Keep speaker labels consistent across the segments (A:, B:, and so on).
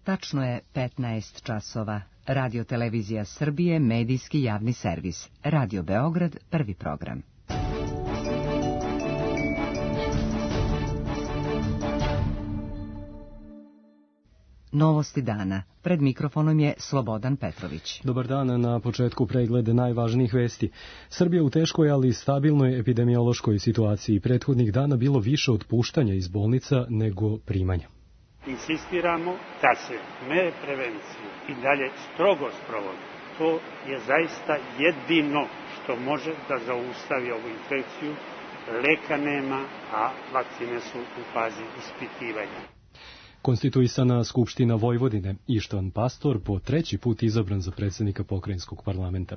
A: Tačno je 15 časova. Radio Televizija Srbije, medijski javni servis. Radio Beograd, prvi program. Novosti dana. Pred mikrofonom je Slobodan Petrović.
B: Dobar dan, na početku preglede najvažnijih vesti. Srbija u teškoj, ali stabilnoj epidemiološkoj situaciji. Prethodnih dana bilo više otpuštanja iz bolnica nego primanja.
C: Insistiramo da se mere prevencije i dalje strogo sprovode. To je zaista jedino što može da zaustavi ovu infekciju. Leka nema, a vakcine su u fazi ispitivanja.
B: Konstituisana Skupština Vojvodine, Ištvan Pastor, po treći put izabran za predsjednika pokrajinskog parlamenta.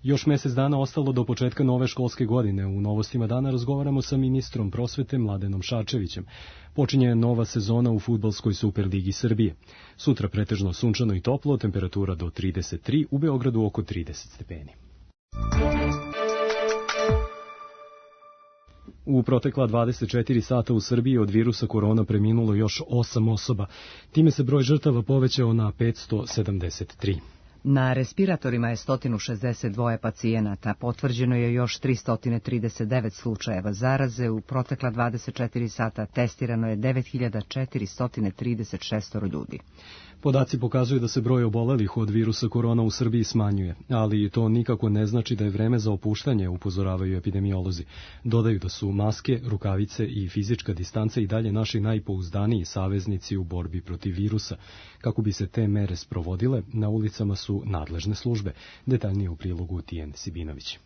B: Još mjesec dana ostalo do početka nove školske godine. U novostima dana razgovaramo sa ministrom prosvete Mladenom Šarčevićem. Počinje nova sezona u fudbalskoj Superligi Srbije. Sutra pretežno sunčano i toplo, temperatura do 33, u Beogradu oko 30 stepeni. U protekla 24 sata u Srbiji od virusa korona preminulo još 8 osoba. Time se broj žrtava povećao na 573.
A: Na respiratorima je 162 pacijenata, potvrđeno je još 339 slučajeva zaraze, u protekla 24 sata testirano je 9436 ljudi.
B: Podaci pokazuju da se broj obolelih od virusa korona u Srbiji smanjuje, ali to nikako ne znači da je vreme za opuštanje, upozoravaju epidemiolozi. Dodaju da su maske, rukavice i fizička distanca i dalje naši najpouzdaniji saveznici u borbi protiv virusa. Kako bi se te mere sprovodile, na ulicama su nadležne službe. Detaljnije u prilogu Tijen Sibinović.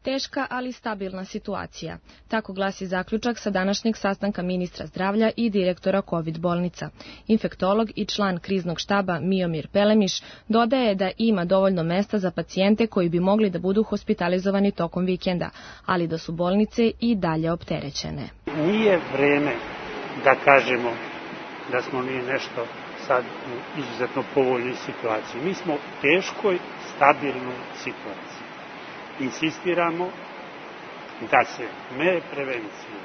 D: Teška, ali stabilna situacija. Tako glasi zaključak sa današnjeg sastanka ministra zdravlja i direktora COVID bolnica. Infektolog i član kriznog štaba Miomir Pelemiš dodaje da ima dovoljno mesta za pacijente koji bi mogli da budu hospitalizovani tokom vikenda, ali da su bolnice i dalje opterećene.
C: Nije vreme da kažemo da smo mi nešto sad u izuzetno povoljnoj situaciji. Mi smo u teškoj, stabilnoj situaciji. Insistiramo da se mere prevencije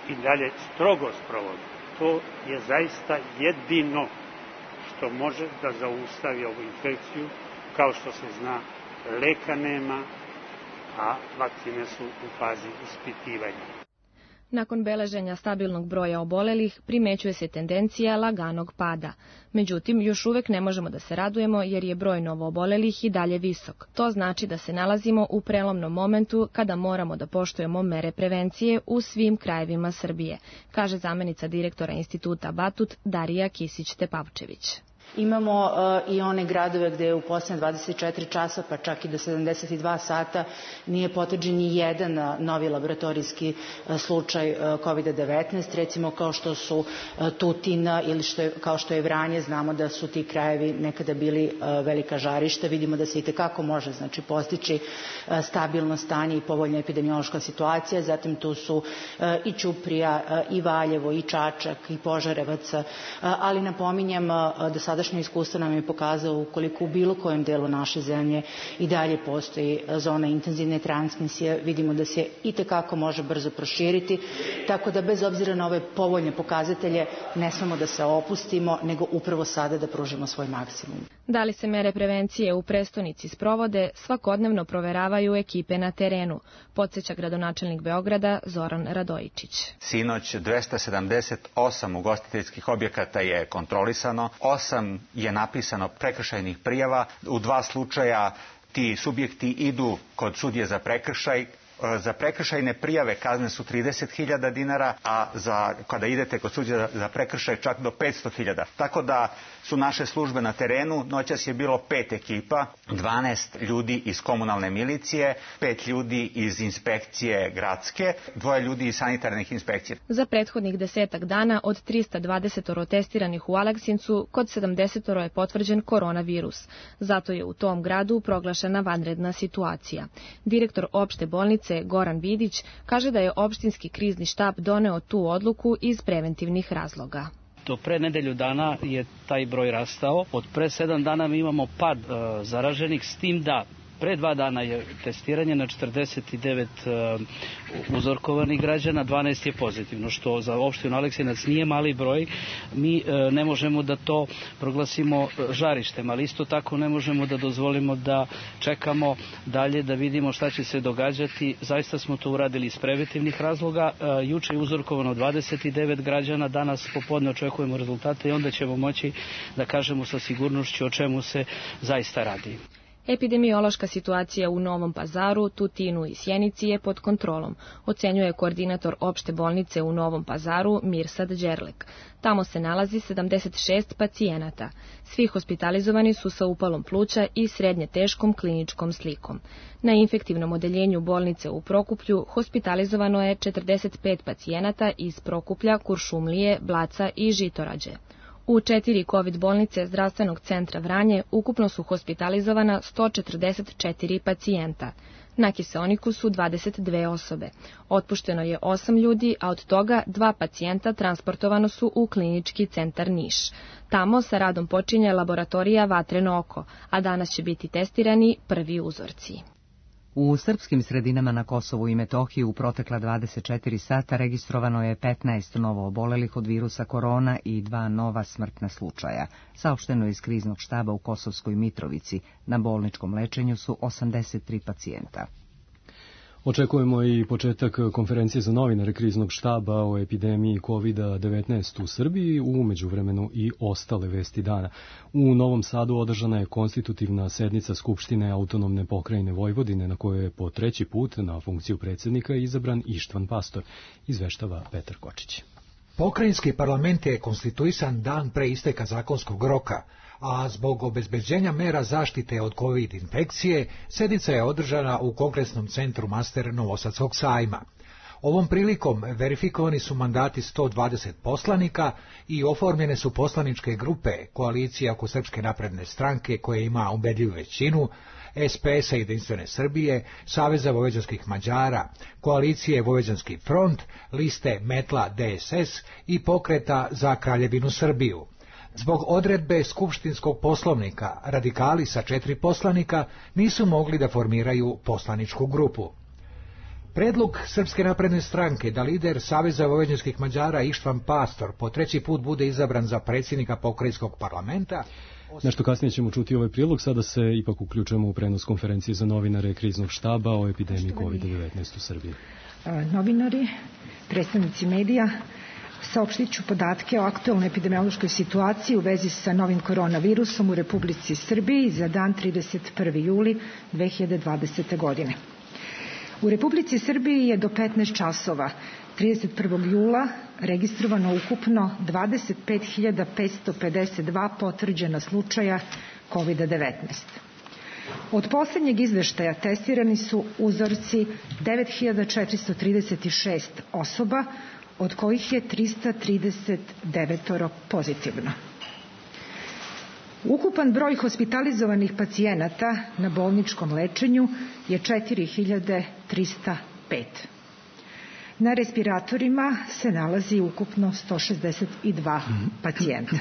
C: i dalje strogo sprovode. To je zaista jedino što može da zaustavi ovu infekciju. Kao što se zna, leka nema, a vakcine su u fazi ispitivanja.
D: Nakon beleženja stabilnog broja obolelih, primećuje se tendencija laganog pada. Međutim, još uvek ne možemo da se radujemo jer je broj novoobolelih i dalje visok. To znači da se nalazimo u prelomnom momentu kada moramo da poštujemo mere prevencije u svim krajevima Srbije, kaže zamenica direktora instituta Batut Darija Kisić-Tepavčević.
E: Imamo i one gradove gde je u posljednje 24 časa, pa čak i do 72 sata, nije potvrđen ni jedan novi laboratorijski slučaj COVID-19, recimo kao što su Tutin ili kao što je Vranje. Znamo da su ti krajevi nekada bili velika žarišta. Vidimo da se itekako može postići stabilno stanje i povoljna epidemiološka situacija. Zatim tu su i Ćuprija, i Valjevo, i Čačak, i Požarevac, ali napominjem da sadašnje iskustvo nam je pokazao ukoliko u bilo kojem delu naše zemlje i dalje postoji zona intenzivne transmisije, vidimo da se itekako može brzo proširiti, tako da bez obzira na ove povoljne pokazatelje ne samo da se opustimo, nego upravo sada da pružimo svoj maksimum.
D: Da li se mere prevencije u prestonici sprovode, svakodnevno proveravaju ekipe na terenu, podsjeća gradonačelnik Beograda Zoran Radojičić.
F: Sinoć 278 ugostiteljskih objekata je kontrolisano, 8 je napisano prekršajnih prijava. U 2 slučaja ti subjekti idu kod sudije za prekršaj. Za prekršajne prijave kazne su 30.000 dinara, a kada idete kod sudije za prekršaj čak do 500.000. Tako da su naše službe na terenu. Noćas je bilo 5 ekipa, 12 ljudi iz komunalne milicije, 5 ljudi iz inspekcije gradske, 2 ljudi iz sanitarnih inspekcija.
D: Za prethodnih 10 dana od 320 testiranih u Aleksincu, kod 70 je potvrđen koronavirus. Zato je u tom gradu proglašena vanredna situacija. Direktor opšte bolnice Goran Vidić kaže da je opštinski krizni štab doneo tu odluku iz preventivnih razloga.
G: Do pre nedelju dana je taj broj rastao. Od pre 7 dana mi imamo pad zaraženih, s tim da Pre 2 dana je testiranje na 49 uzorkovanih građana, 12 je pozitivno, što za opštinu Aleksinac nije mali broj. Mi ne možemo da to proglasimo žarištem, ali isto tako ne možemo da dozvolimo da čekamo dalje da vidimo šta će se događati. Zaista smo to uradili iz preventivnih razloga. Juče je uzorkovano 29 građana, danas popodne očekujemo rezultate i onda ćemo moći da kažemo sa sigurnošću o čemu se zaista radi.
D: Epidemiološka situacija u Novom Pazaru, Tutinu i Sjenici je pod kontrolom, ocenjuje koordinator opšte bolnice u Novom Pazaru Mirsad Đerlek. Tamo se nalazi 76 pacijenata. Svi hospitalizovani su sa upalom pluća i srednje teškom kliničkom slikom. Na infektivnom odeljenju bolnice u Prokuplju hospitalizovano je 45 pacijenata iz Prokuplja, Kuršumlije, Blaca i Žitorađe. U 4 COVID bolnice zdravstvenog centra Vranje ukupno su hospitalizovana 144 pacijenta. Na kiseoniku su 22 osobe. Otpušteno je 8 ljudi, a od toga 2 pacijenta transportovano su u klinički centar Niš. Tamo sa radom počinje laboratorija Vatreno oko, a danas će biti testirani prvi uzorci.
A: U srpskim sredinama na Kosovu i Metohiji u protekla 24 sata registrovano je 15 novo obolelih od virusa korona i 2 nova smrtna slučaja. Saopšteno je iz kriznog štaba u Kosovskoj Mitrovici. Na bolničkom lečenju su 83 pacijenta.
B: Očekujemo i početak konferencije za novinare kriznog štaba o epidemiji COVID-19 u Srbiji, u međuvremenu i ostale vesti dana. U Novom Sadu održana je konstitutivna sednica Skupštine autonomne pokrajine Vojvodine, na kojoj je po 3. put na funkciju predsjednika izabran Ištvan Pastor, izveštava Petar Kočić.
H: Pokrajinski parlament je konstituisan dan pre isteka zakonskog roka, a zbog obezbeđenja mera zaštite od COVID infekcije, sednica je održana u Kongresnom centru Master Novosadskog sajma. Ovom prilikom verifikovani su mandati 120 poslanika i oformljene su poslaničke grupe Koalicija oko Srpske napredne stranke, koja ima ubedljivu većinu, SPS-a Jedinstvene Srbije, Saveza vojvođanskih Mađara, Koalicije Vojvođanski front, liste Metla DSS i Pokreta za Kraljevinu Srbiju. Zbog odredbe Skupštinskog poslovnika, radikali sa 4 poslanika nisu mogli da formiraju poslaničku grupu. Predlog Srpske napredne stranke da lider Saveza vojvođanskih Mađara Ištvan Pastor po 3. put bude izabran za predsjednika pokrajinskog parlamenta.
B: Nešto kasnije ćemo čuti ovaj prilog, sada se ipak uključujemo u prenos konferencije za novinare kriznog štaba o epidemiji COVID-19 u Srbiji.
I: Novinari, predstavnici medija, saopštit ću podatke o aktualnoj epidemiološkoj situaciji u vezi sa novim koronavirusom u Republici Srbiji za dan 31. juli 2020. godine. U Republici Srbiji je do 15 časova 31. jula registrovano ukupno 25.552 potvrđena slučaja COVID-19. Od posljednjeg izveštaja testirani su uzorci 9.436 osoba, od kojih je 339 pozitivno. Ukupan broj hospitalizovanih pacijenata na bolničkom lečenju je 4.305. Na respiratorima se nalazi ukupno 162 pacijenta.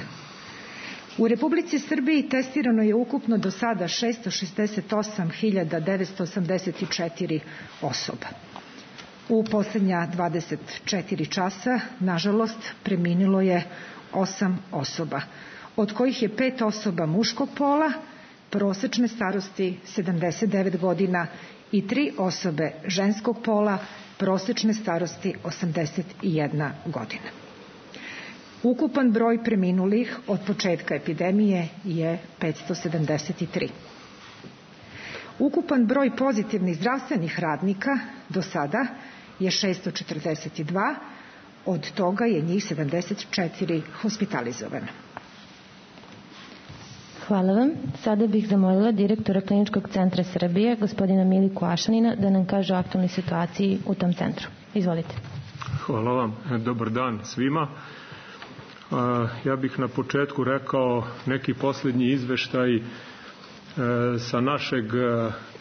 I: U Republici Srbiji testirano je ukupno do sada 668.984 osoba. U posljednja 24 časa, nažalost, preminulo je 8 osoba, od kojih je 5 osoba muškog pola, prosečne starosti 79 godina i 3 osobe ženskog pola, prosečne starosti 81 godina. Ukupan broj preminulih od početka epidemije je 573. Ukupan broj pozitivnih zdravstvenih radnika do sada je 642, od toga je njih 74 hospitalizovano.
J: Hvala vam. Sada bih zamolila direktora Kliničkog centra Srbije, gospodina Miliku Ašanina, da nam kaže o aktualnoj situaciji u tom centru. Izvolite.
K: Hvala vam. Dobar dan svima. Ja bih na početku rekao neki posljednji izveštaj sa našeg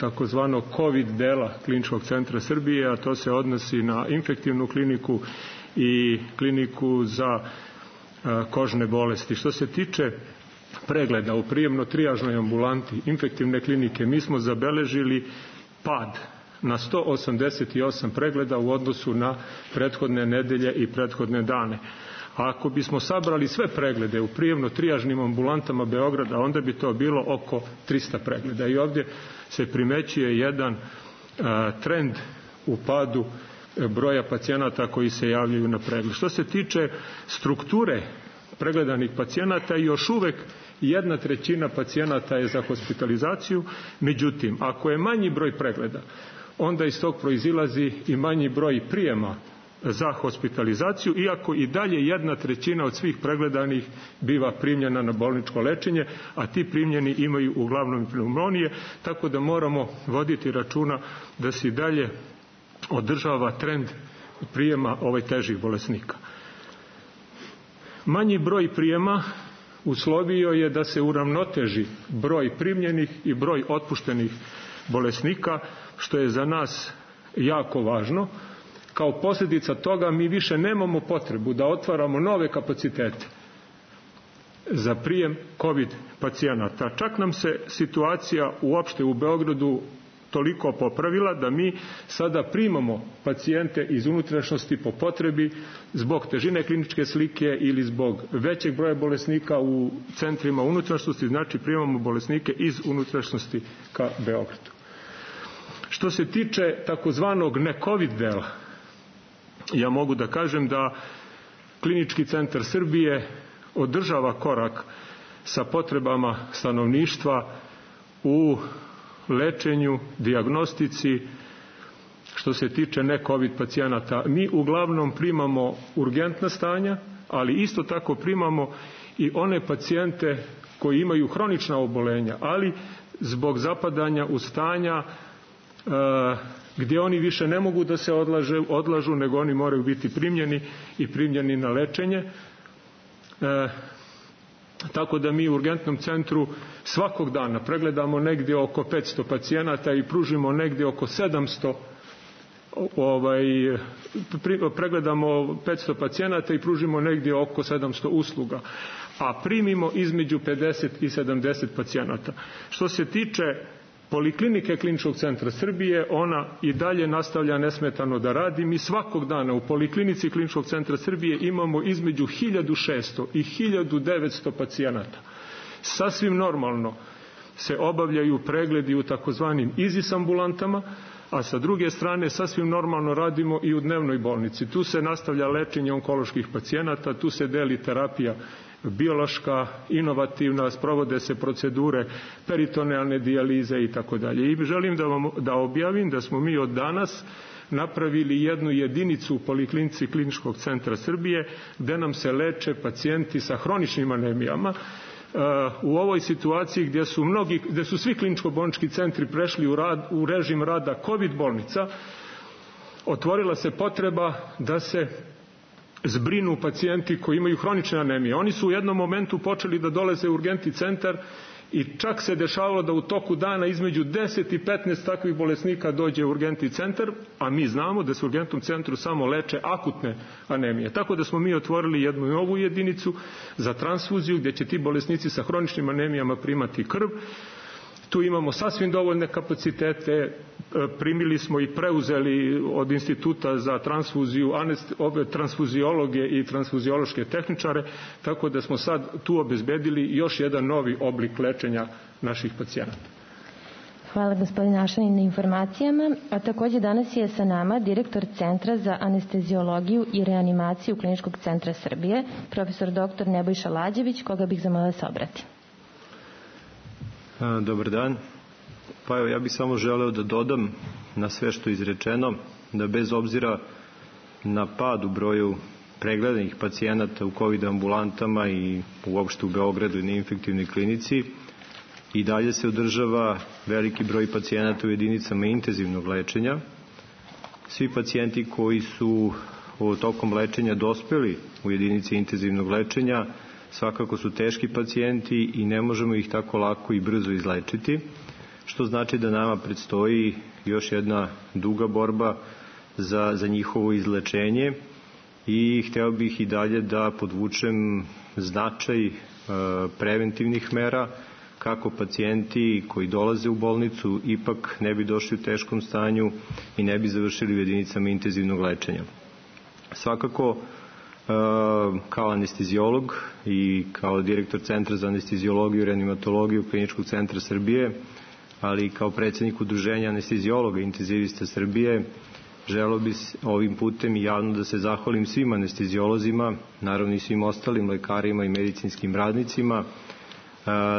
K: takozvanog COVID dela Kliničkog centra Srbije, a to se odnosi na infektivnu kliniku i kliniku za kožne bolesti. Što se tiče pregleda u prijemno-trijažnoj ambulanti infektivne klinike mi smo zabeležili pad na 188 pregleda u odnosu na prethodne nedelje i prethodne dane. A ako bismo sabrali sve preglede u prijemno-trijažnim ambulantama Beograda, onda bi to bilo oko 300 pregleda. I ovdje se primećuje jedan trend u padu broja pacijenata koji se javljaju na pregled. Što se tiče strukture pregledanih pacijenata, još uvek 1/3 pacijenata je za hospitalizaciju, međutim, ako je manji broj pregleda, onda iz tog proizilazi i manji broj prijema za hospitalizaciju, iako i dalje 1/3 od svih pregledanih biva primljena na bolničko lečenje, a ti primljeni imaju uglavnom pneumonije, tako da moramo voditi računa da se i dalje održava trend prijema težih bolesnika. Manji broj prijema uslovio je da se uravnoteži broj primljenih i broj otpuštenih bolesnika, što je za nas jako važno. Kao posljedica toga mi više nemamo potrebu da otvaramo nove kapacitete za prijem COVID pacijenata. Čak nam se situacija uopšte u Beogradu toliko popravila da mi sada primamo pacijente iz unutrašnjosti po potrebi zbog težine kliničke slike ili zbog većeg broja bolesnika u centrima unutrašnjosti, znači primamo bolesnike iz unutrašnjosti ka Beogradu. Što se tiče takozvanog ne-COVID dela, ja mogu da kažem da Klinički centar Srbije održava korak sa potrebama stanovništva u lečenju, dijagnostici, što se tiče ne-COVID pacijenata. Mi uglavnom primamo urgentna stanja, ali isto tako primamo i one pacijente koji imaju hronična obolenja, ali zbog zapadanja u stanja gdje oni više ne mogu da se odlažu, nego oni moraju biti primljeni na lečenje. Tako da mi u urgentnom centru svakog dana pregledamo negdje oko 500 pacijenata i pružimo negdje oko 700 pregledamo 500 pacijenata i pružimo negdje oko 700 usluga, a primimo između 50 i 70 pacijenata. Što se tiče Poliklinike Kliničkog centra Srbije, ona i dalje nastavlja nesmetano da radi. Mi svakog dana u Poliklinici Kliničkog centra Srbije imamo između 1600 i 1900 pacijenata. Sasvim normalno se obavljaju pregledi u takozvanim IZIS ambulantama, a sa druge strane sasvim normalno radimo i u dnevnoj bolnici. Tu se nastavlja lečenje onkoloških pacijenata, tu se deli terapija biološka, inovativna, sprovode se procedure peritonealne dijalize i tako dalje. I želim da objavim da smo mi od danas napravili jednu jedinicu u Poliklinici Kliničkog centra Srbije gde nam se leče pacijenti sa hroničnim anemijama. U ovoj situaciji gdje su svi kliničko-bolnički centri prešli u režim rada COVID bolnica, otvorila se potreba da se zbrinu pacijenti koji imaju hronične anemije. Oni su u jednom momentu počeli da dolaze u urgentni centar i čak se dešavalo da u toku dana između 10 i 15 takvih bolesnika dođe u urgentni centar, a mi znamo da se u urgentnom centru samo leče akutne anemije. Tako da smo mi otvorili jednu novu jedinicu za transfuziju gdje će ti bolesnici sa hroničnim anemijama primati krv. Tu imamo sasvim dovoljne kapacitete, primili smo i preuzeli od Instituta za transfuziju transfuziologe i transfuziološke tehničare, tako da smo sad tu obezbedili još jedan novi oblik lečenja naših pacijenata.
J: Hvala gospodine Ašanin na informacijama, a takođe danas je sa nama direktor Centra za anesteziologiju i reanimaciju Kliničkog centra Srbije, profesor dr. Nebojša Lađević, koga bih zamolila da se obrati.
L: Dobar dan. Pa evo, ja bih samo želeo da dodam na sve što je izrečeno, da bez obzira na pad u broju pregledanih pacijenata u COVID ambulantama i uopšte u Beogradu i na infektivnoj klinici, i dalje se održava veliki broj pacijenata u jedinicama intenzivnog lečenja. Svi pacijenti koji su tokom lečenja dospeli u jedinice intenzivnog lečenja svakako su teški pacijenti i ne možemo ih tako lako i brzo izlečiti, što znači da nama predstoji još jedna duga borba za njihovo izlečenje i hteo bih i dalje da podvučem značaj preventivnih mera, kako pacijenti koji dolaze u bolnicu ipak ne bi došli u teškom stanju i ne bi završili u jedinicama intenzivnog lečenja. Svakako, kao anestezijolog i kao direktor Centra za anestezijologiju i reanimatologiju Kliničkog centra Srbije, ali i kao predsjednik Udruženja anestezijologa i intenzivista Srbije, želeo bi ovim putem i javno da se zahvalim svim anestezijolozima, naravno i svim ostalim lekarima i medicinskim radnicima,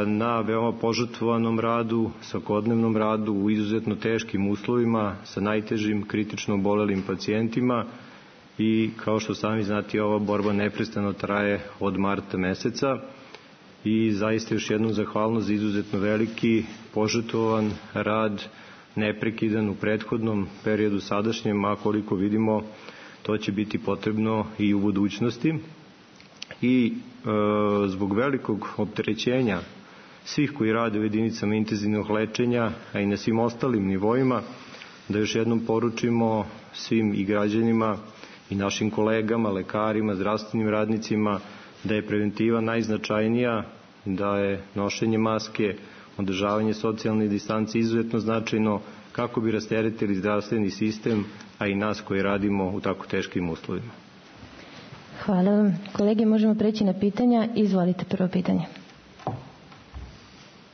L: na veoma požrtvovanom radu, svakodnevnom radu u izuzetno teškim uslovima sa najtežim kritično obolelim pacijentima i kao što sami znate, ova borba neprestano traje od marta meseca i zaista još jednom zahvalnost za izuzetno veliki požrtvovan rad, neprekidan u prethodnom periodu sadašnjem, a koliko vidimo to će biti potrebno i u budućnosti. I zbog velikog opterećenja svih koji rade u jedinicama intenzivnog lečenja, a i na svim ostalim nivoima, da još jednom poručimo svim i građanima i našim kolegama, lekarima, zdravstvenim radnicima da je preventiva najznačajnija, da je nošenje maske, održavanje socijalne distance izuzetno značajno kako bi rasteretili zdravstveni sistem, a i nas koji radimo u tako teškim uslovima.
J: Hvala vam. Kolege, možemo preći na pitanja. Izvolite prvo pitanje.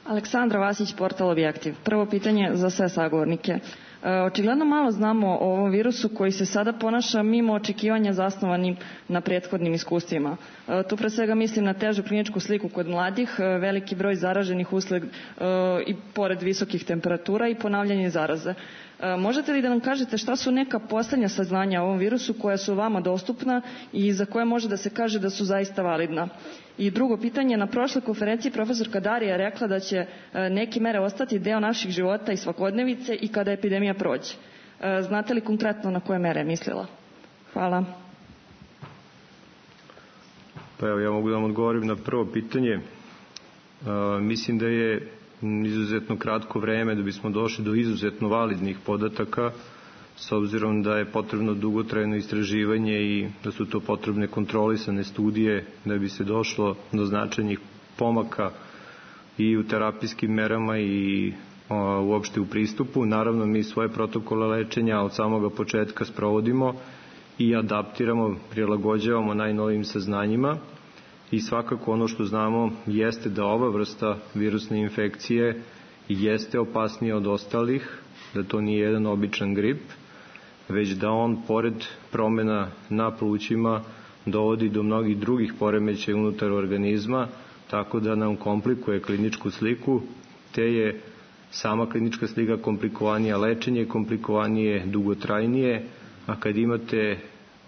M: Aleksandra Vasić, portal Objektiv. Prvo pitanje za sve sagovornike. Očigledno malo znamo o ovom virusu koji se sada ponaša mimo očekivanja zasnovanim na prethodnim iskustvima. Tu pre svega mislim na težu kliničku sliku kod mladih, veliki broj zaraženih usled i pored visokih temperatura i ponavljanje zaraze. Možete li da nam kažete šta su neka poslednja saznanja o ovom virusu koja su vama dostupna i za koje može da se kaže da su zaista validna? I drugo pitanje, na prošloj konferenciji profesorka Darija je rekla da će neke mere ostati deo naših života i svakodnevice i kada epidemija prođe. Znate li konkretno na koje mere je mislila? Hvala.
L: Pa evo, ja mogu da vam odgovorim na prvo pitanje. Mislim da je izuzetno kratko vreme da bismo došli do izuzetno validnih podataka, s obzirom da je potrebno dugotrajno istraživanje i da su to potrebne kontrolisane studije da bi se došlo do značajnih pomaka i u terapijskim merama i uopšte u pristupu. Naravno, mi svoje protokole lečenja od samoga početka sprovodimo i adaptiramo, prilagođavamo najnovijim saznanjima i svakako ono što znamo jeste da ova vrsta virusne infekcije jeste opasnija od ostalih, da to nije jedan običan grip, već da on, pored promjena na plućima, dovodi do mnogih drugih poremećaja unutar organizma, tako da nam komplikuje kliničku sliku, te je sama klinička slika komplikovanija, lečenje komplikovanije, dugotrajnije, a kad imate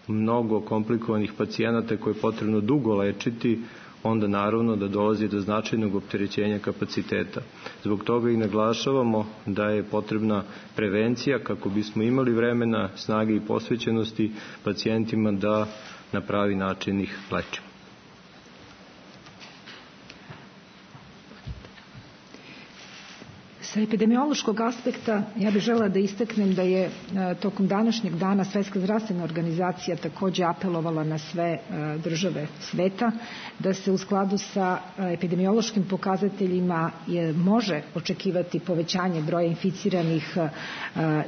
L: mnogo komplikovanih pacijenata koje je potrebno dugo lečiti, onda naravno da dolazi do značajnog opterećenja kapaciteta. Zbog toga i naglašavamo da je potrebna prevencija kako bismo imali vremena, snage i posvećenosti pacijentima da na pravi način ih lečimo.
I: Sa epidemiološkog aspekta ja bih želela da istaknem da je tokom današnjeg dana Svetska zdravstvena organizacija takođe apelovala na sve države sveta da se u skladu sa epidemiološkim pokazateljima može očekivati povećanje broja inficiranih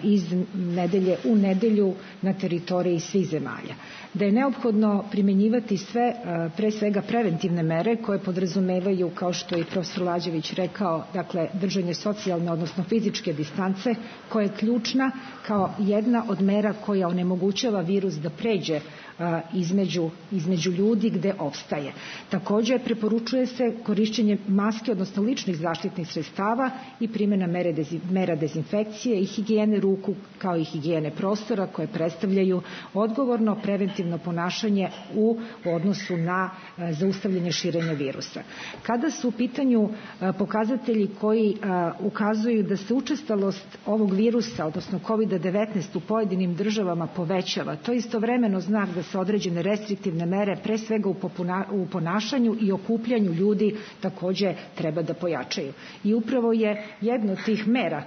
I: iz nedelje u nedelju na teritoriji svih zemalja. Da je neophodno primenjivati sve, pre svega preventivne mere koje podrazumevaju, kao što je i profesor Lađević rekao, dakle držanje socijalne, odnosno fizičke distance, koja je ključna kao jedna od mera koja onemogućava virus da pređe između ljudi gde opstaje. Takođe, preporučuje se korišćenje maske, odnosno ličnih zaštitnih sredstava i primjena mera dezinfekcije i higijene ruku, kao i higijene prostora, koje predstavljaju odgovorno preventivno ponašanje u odnosu na zaustavljanje širenja virusa. Kada su u pitanju pokazatelji koji ukazuju ukazuju da se učestalost ovog virusa, odnosno COVID-19 u pojedinim državama povećava. To je istovremeno znak da se određene restriktivne mere, pre svega u ponašanju i okupljanju ljudi, takođe treba da pojačaju. I upravo je jedna od tih mera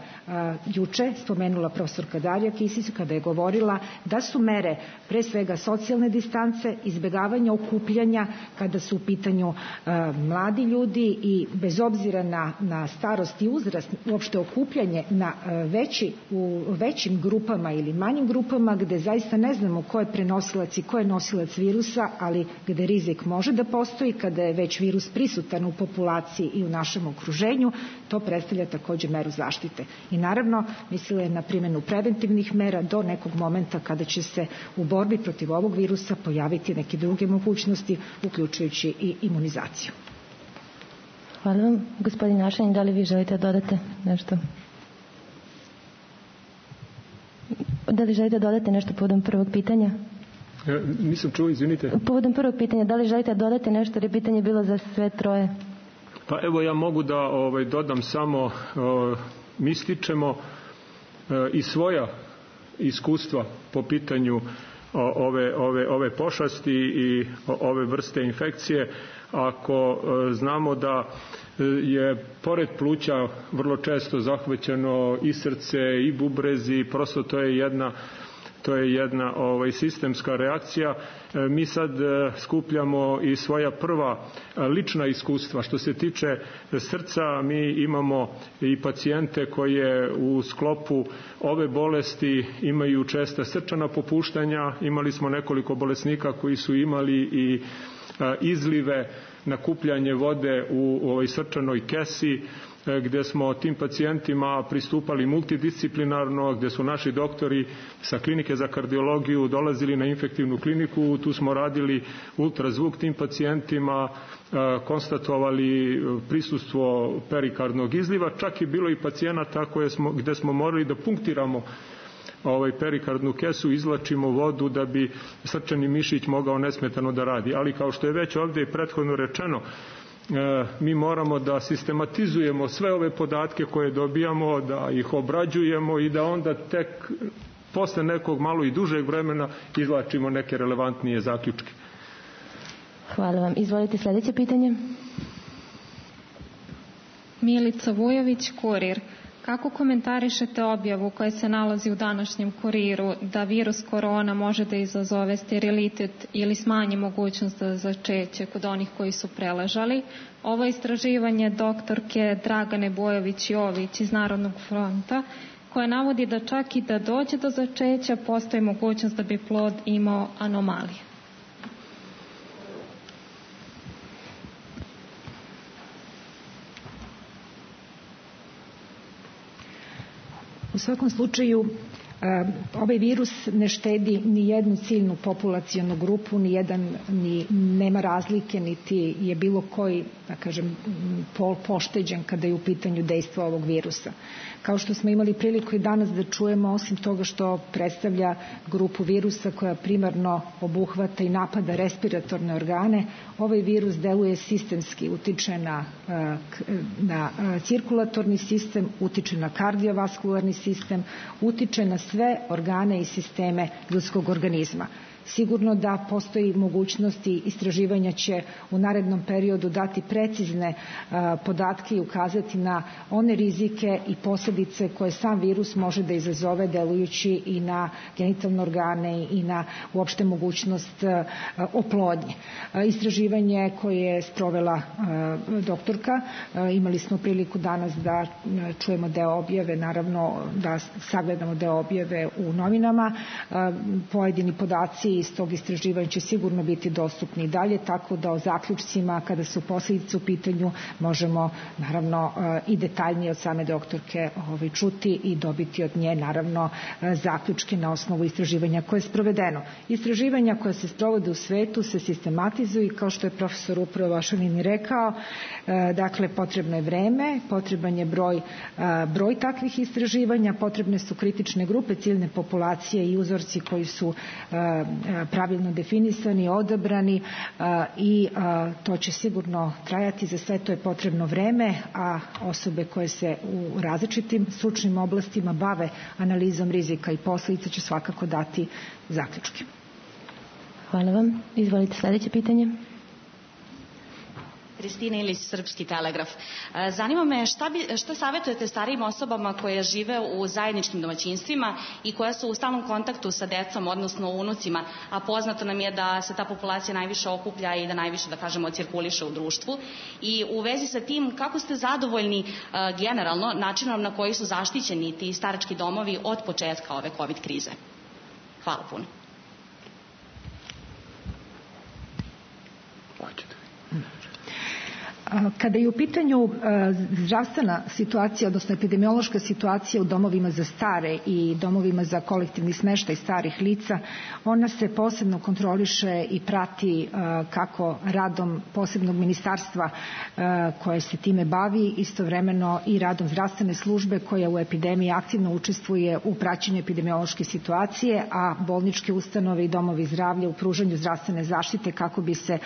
I: juče spomenula profesorka Darija Kisić kada je govorila da su mere pre svega socijalne distance, izbjegavanja okupljanja kada su u pitanju mladi ljudi i bez obzira na starost i uzrast, uopšte okupljanje u većim grupama ili manjim grupama gde zaista ne znamo ko je prenosilac i ko je nosilac virusa, ali gde rizik može da postoji kada je već virus prisutan u populaciji i u našem okruženju, to predstavlja takođe meru zaštite. I naravno, mislila je na primjenu preventivnih mera do nekog momenta kada će se u borbi protiv ovog virusa pojaviti neke druge mogućnosti, uključujući i imunizaciju.
J: Hvala vam. Gospodin Ašanin, da li vi želite dodati nešto? Da li želite dodati nešto povodom prvog pitanja?
K: Nisam čuo, izvinite.
J: Povodom prvog pitanja, da li želite dodati nešto, jer je pitanje bilo za sve troje?
K: Pa evo, ja mogu da dodam samo, mi stičemo i svoja iskustva po pitanju ove pošasti i ove vrste infekcije. Ako znamo da je pored pluća vrlo često zahvaćeno i srce i bubrezi, prosto to je jedna sistemska reakcija. Mi sad skupljamo i svoja prva lična iskustva. Što se tiče srca, mi imamo i pacijente koje u sklopu ove bolesti imaju česta srčana popuštanja. Imali smo nekoliko bolesnika koji su imali i izlive, nakupljanje vode u ovoj srčanoj kesi, gde smo tim pacijentima pristupali multidisciplinarno, gde su naši doktori sa klinike za kardiologiju dolazili na infektivnu kliniku, tu smo radili ultrazvuk tim pacijentima, konstatovali prisustvo perikardnog izliva, čak je bilo i pacijenata gde smo morali da punktiramo perikardnu kesu, izlačimo vodu da bi srčani mišić mogao nesmetano da radi. Ali kao što je već ovde i prethodno rečeno, mi moramo da sistematizujemo sve ove podatke koje dobijamo, da ih obrađujemo i da onda tek posle nekog malo i dužeg vremena izvlačimo neke relevantnije zaključke.
J: Hvala vam. Izvolite sledeće pitanje.
N: Milica Vujović, Kurir. Kako komentarišete objavu koja se nalazi u današnjem Kuriru da virus korona može da izazove sterilitet ili smanji mogućnost za začeće kod onih koji su preležali? Ovo istraživanje doktorke Dragane Bojović-Jović iz Narodnog fronta, koja navodi da čak i da dođe do začeća postoji mogućnost da bi plod imao anomalije.
I: U svakom slučaju, ovaj virus ne štedi ni jednu ciljnu populacionu grupu, nema razlike, niti je bilo koji, da kažem, pol pošteđen kada je u pitanju dejstva ovog virusa. Kao što smo imali priliku i danas da čujemo, osim toga što predstavlja grupu virusa koja primarno obuhvata i napada respiratorne organe, ovaj virus deluje sistemski, utiče na cirkulatorni sistem, utiče na kardiovaskularni sistem, utiče na sve organe i sisteme ljudskog organizma. Sigurno da postoji mogućnosti, istraživanja će u narednom periodu dati precizne podatke i ukazati na one rizike i posljedice koje sam virus može da izazove delujući i na genitalne organe i na uopšte mogućnost oplodnje. Istraživanje koje je sprovela doktorka, imali smo priliku danas da čujemo deo objave, naravno da sagledamo deo objave u novinama. Pojedini podaci iz tog istraživanja će sigurno biti dostupni i dalje, tako da o zaključcima kada su posljedice u pitanju možemo naravno i detaljnije od same doktorke čuti i dobiti od nje naravno zaključke na osnovu istraživanja koje je sprovedeno. Istraživanja koja se sprovode u svetu se sistematizuju i kao što je profesor upravo Ašanin rekao, dakle potrebno je vreme, potreban je broj takvih istraživanja, potrebne su kritične grupe ciljne populacije i uzorci koji su pravilno definisani, odabrani i to će sigurno trajati, za sve to je potrebno vreme, a osobe koje se u različitim stručnim oblastima bave analizom rizika i posledica će svakako dati zaključke.
J: Hvala vam. Izvolite sledeće pitanje.
O: Kristina Ilić, Srpski telegraf. Zanima me šta savjetujete starijim osobama koje žive u zajedničkim domaćinstvima i koja su u stalnom kontaktu sa decom, odnosno unucima, a poznato nam je da se ta populacija najviše okuplja i da najviše, da kažemo, cirkuliše u društvu. I u vezi sa tim, kako ste zadovoljni generalno načinom na koji su zaštićeni ti starački domovi od početka ove COVID krize? Hvala puno.
I: Kada je u pitanju zdravstvena situacija, odnosno epidemiološka situacija u domovima za stare i domovima za kolektivni smeštaj starih lica, ona se posebno kontroliše i prati kako radom posebnog ministarstva koje se time bavi, istovremeno i radom zdravstvene službe koja u epidemiji aktivno učestvuje u praćenju epidemiološke situacije, a bolničke ustanove i domovi zdravlja u pružanju zdravstvene zaštite kako bi se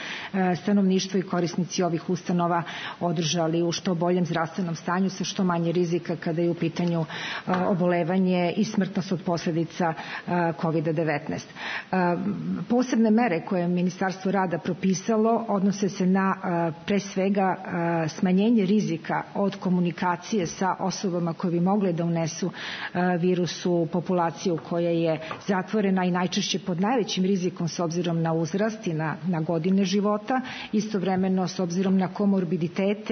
I: stanovništvo i korisnici ovih ustanova održali u što boljem zdravstvenom stanju sa što manje rizika kada je u pitanju obolevanje i smrtnost od posledica COVID-19. Posebne mere koje je Ministarstvo rada propisalo odnose se na pre svega smanjenje rizika od komunikacije sa osobama koje bi mogle da unesu virus u populaciju koja je zatvorena i najčešće pod najvećim rizikom s obzirom na uzrast i na godine života, istovremeno s obzirom na komorbiditete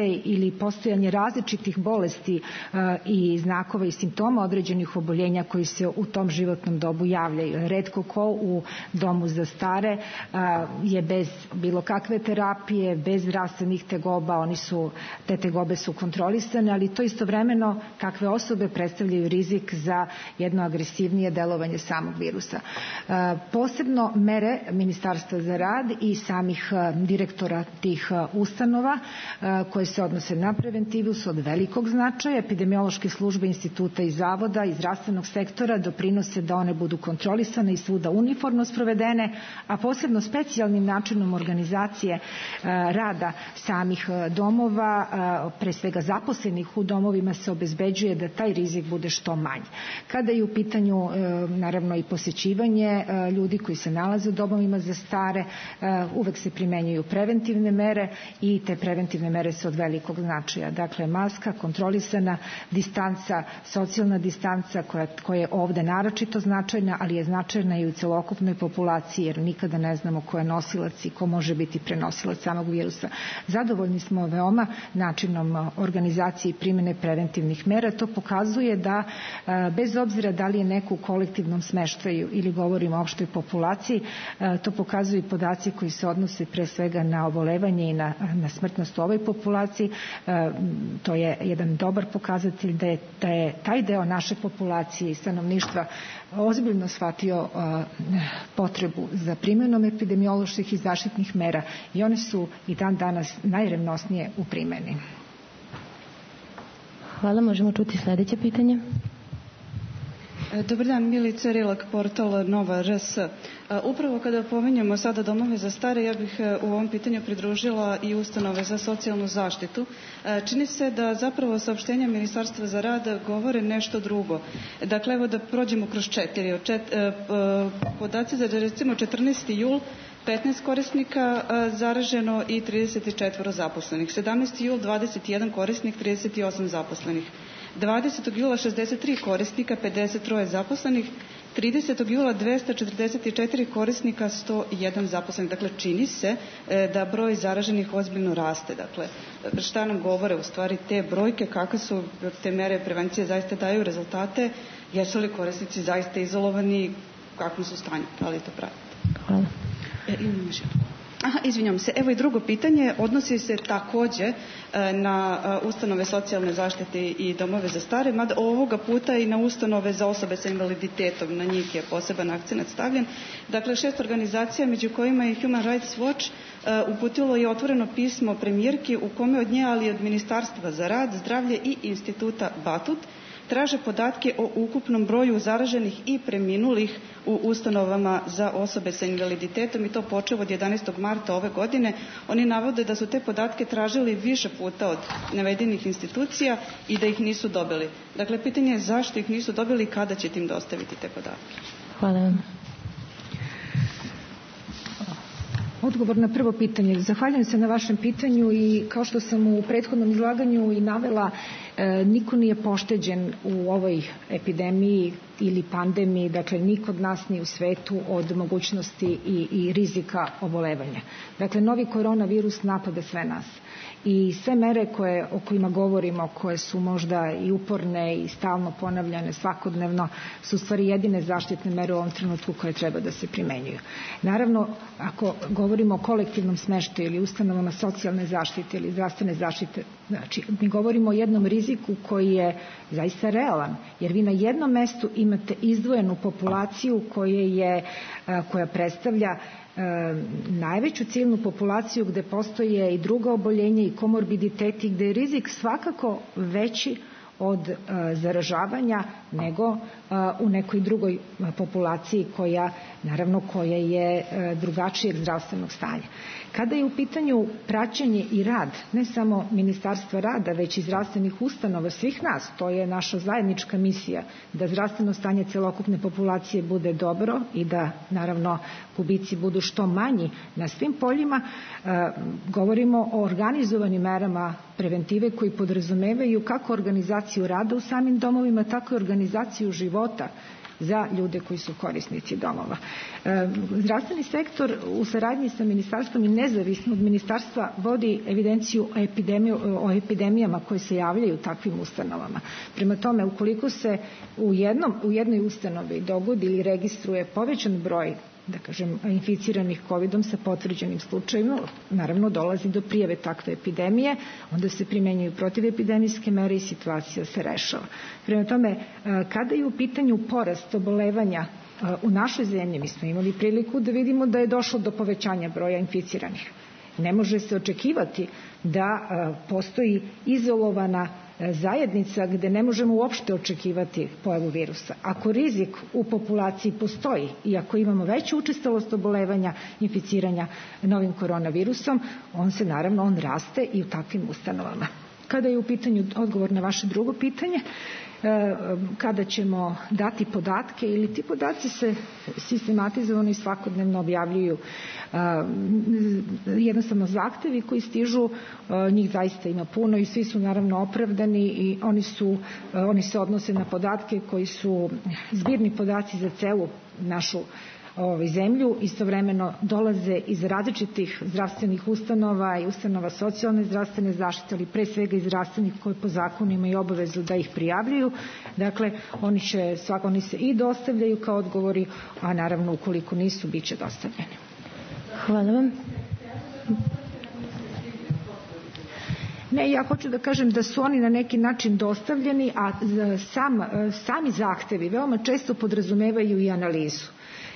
I: ili postojanje različitih bolesti i znakova i simptoma određenih oboljenja koji se u tom životnom dobu javljaju. Retko ko u domu za stare je bez bilo kakve terapije, bez zdravstvenih tegoba, te tegobe su kontrolisane, ali to istovremeno kakve osobe predstavljaju rizik za jedno agresivnije delovanje samog virusa. Posebno mere Ministarstva za rad i samih direktora tih ustanova koje se odnose na preventivu su od velikog značaja. Epidemiološke službe instituta i zavoda i zdravstvenog sektora doprinose da one budu kontrolisane i svuda uniformno sprovedene, a posebno specijalnim načinom organizacije rada samih domova, pre svega zaposlenih u domovima, se obezbeđuje da taj rizik bude što manji. Kada je u pitanju naravno i posećivanje ljudi koji se nalaze u domovima za stare, uvek se primenjuju preventivne mere i te preventivne mere su od velikog značaja. Dakle, maska, kontrolisana distanca, socijalna distanca koja je ovde naročito značajna, ali je značajna i u celokupnoj populaciji, jer nikada ne znamo ko je nosilac i ko može biti prenosilac samog virusa. Zadovoljni smo veoma načinom organizacije i primjene preventivnih mera. To pokazuje da bez obzira da li je neko u kolektivnom smeštaju ili govorimo o opštoj populaciji, to pokazuju i podaci koji se odnose pre svega na obolevanje i na smrtnost u ovoj populaciji. To je jedan dobar pokazatelj da je taj deo naše populacije i stanovništva ozbiljno shvatio potrebu za primjenom epidemioloških i zaštitnih mera i one su i dan danas najrevnosnije u primjeni.
J: Hvala, možemo čuti sledeće pitanje.
P: Dobar dan, Milica Rilak, portal Nova RS. Upravo kada pominjamo sada domove za stare, ja bih u ovom pitanju pridružila i ustanove za socijalnu zaštitu. Čini se da zapravo saopštenja Ministarstva za rad govore nešto drugo. Dakle, evo da prođemo kroz 4. Podaci za recimo 14. jul, 15 korisnika zaraženo i 34 zaposlenih. 17. jul 21 korisnik, 38 zaposlenih. 20. jula 63 korisnika, 53 zaposlenih. 30. jula 244 korisnika, 101 zaposlenih. Dakle, čini se da broj zaraženih ozbiljno raste. Dakle, šta nam govore u stvari te brojke, kakve su te mere prevencije, zaista daju rezultate, jesu li korisnici zaista izolovani, kakvom su stanju, da li to pratite?
J: Hvala.
P: Izvinjam se. Evo i drugo pitanje, odnosi se takođe na ustanove socijalne zaštite i domove za stare, mada ovoga puta i na ustanove za osobe sa invaliditetom, na njih je poseban akcenat stavljen. Dakle, 6 organizacija, među kojima je Human Rights Watch, uputilo je otvoreno pismo premijerki u kome od nje, ali i od Ministarstva za rad, zdravlje i instituta Batut, traže podatke o ukupnom broju zaraženih i preminulih u ustanovama za osobe sa invaliditetom i to počev od 11. marta ove godine. Oni navode da su te podatke tražili više puta od navedenih institucija i da ih nisu dobili. Dakle, pitanje je zašto ih nisu dobili i kada ćete im dostaviti te podatke.
J: Hvala vam.
I: Odgovor na prvo pitanje. Zahvaljujem se na vašem pitanju i kao što sam u prethodnom izlaganju i navela, niko nije pošteđen u ovoj epidemiji ili pandemiji, dakle niko od nas ni u svetu od mogućnosti i rizika obolevanja. Dakle, novi koronavirus napada sve nas. I sve mere o kojima govorimo, koje su možda i uporne i stalno ponavljane svakodnevno, su u stvari jedine zaštitne mere u ovom trenutku koje treba da se primenjuju. Naravno, ako govorimo o kolektivnom smeštaju ili ustanovama socijalne zaštite ili zdravstvene zaštite, znači mi govorimo o jednom riziku koji je zaista realan, jer vi na jednom mestu imate izdvojenu populaciju koja predstavlja najveću ciljnu populaciju gde postoje i druga oboljenja i komorbiditeti, gde je rizik svakako veći od zaražavanja nego u nekoj drugoj populaciji koja je drugačijeg zdravstvenog stanja. Kada je u pitanju praćenje i rad, ne samo Ministarstva rada, već i zdravstvenih ustanova, svih nas, to je naša zajednička misija, da zdravstveno stanje celokupne populacije bude dobro i da, naravno, gubici budu što manji na svim poljima, govorimo o organizovanim merama preventive koji podrazumevaju kako organizaciju rada u samim domovima, tako i organizaciju života za ljude koji su korisnici domova. Zdravstveni sektor u saradnji sa ministarstvom i nezavisno od ministarstva vodi evidenciju o epidemijama koje se javljaju takvim ustanovama. Prema tome, ukoliko se u jednoj ustanovi dogodi ili registruje povećan broj, da kažem, inficiranih COVID-om sa potvrđenim slučajima, naravno dolazi do prijave takve epidemije, onda se primenjuju protivepidemijske mere i situacija se rešava. Prema tome, kada je u pitanju porast obolevanja u našoj zemlji, mi smo imali priliku da vidimo da je došlo do povećanja broja inficiranih. Ne može se očekivati da postoji izolovana zajednica gde ne možemo uopšte očekivati pojavu virusa. Ako rizik u populaciji postoji i ako imamo veću učestalost obolevanja, inficiranja novim koronavirusom, on raste i u takvim ustanovama. Kada je u pitanju odgovor na vaše drugo pitanje, kada ćemo dati podatke ili ti podaci se sistematizovano i svakodnevno objavljuju, jednostavno zahtevi koji stižu, njih zaista ima puno i svi su naravno opravdani i oni se odnose na podatke koji su zbirni podaci za celu našu zemlju, istovremeno dolaze iz različitih zdravstvenih ustanova i ustanova socijalne zdravstvene zaštite, ali pre svega iz zdravstvenih koji po zakonu imaju obavezu da ih prijavljuju. Dakle, oni se i dostavljaju kao odgovori, a naravno ukoliko nisu, bit će dostavljeni.
J: Hvala vam.
I: Ne, ja hoću da kažem da su oni na neki način dostavljeni, a sami zahtevi veoma često podrazumevaju i analizu.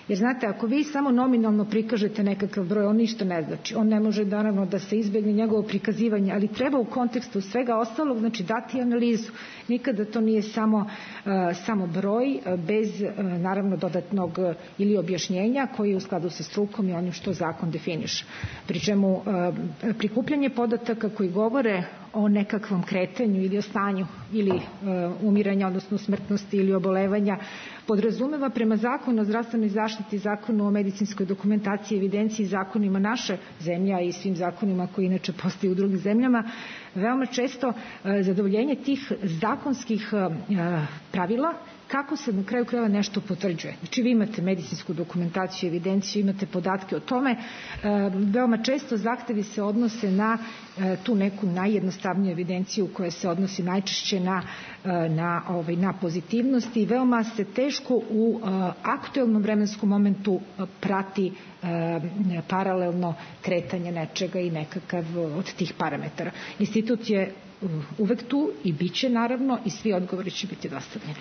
I: Jer znate, ako vi samo nominalno prikažete nekakav broj, on ništa ne znači. On ne može naravno da se izbegne njegovo prikazivanje, ali treba u kontekstu svega ostalog, znači dati analizu. Nikada to nije samo broj bez naravno dodatnog ili objašnjenja koji je u skladu sa strukom i onim što zakon definiše. Pri čemu prikupljanje podataka koji govore o nekakvom kretanju ili o stanju ili umiranja, odnosno smrtnosti ili obolevanja, podrazumeva prema zakonu o zdravstvenoj zaštiti, zakonu o medicinskoj dokumentaciji, evidenciji, zakonima naše zemlje i svim zakonima koji inače postoje u drugim zemljama, veoma često zadovoljenje tih zakonskih pravila kako se na kraju krajeva nešto potvrđuje. Znači vi imate medicinsku dokumentaciju, evidenciju, imate podatke o tome. Veoma često zahtevi se odnose na tu neku najjednostavniju evidenciju koja se odnosi najčešće na pozitivnosti i veoma se teško u aktuelnom vremenskom momentu prati paralelno kretanje nečega i nekakav od tih parametara. Institut je uvek tu i bit će naravno i svi odgovori će biti dostavljeni.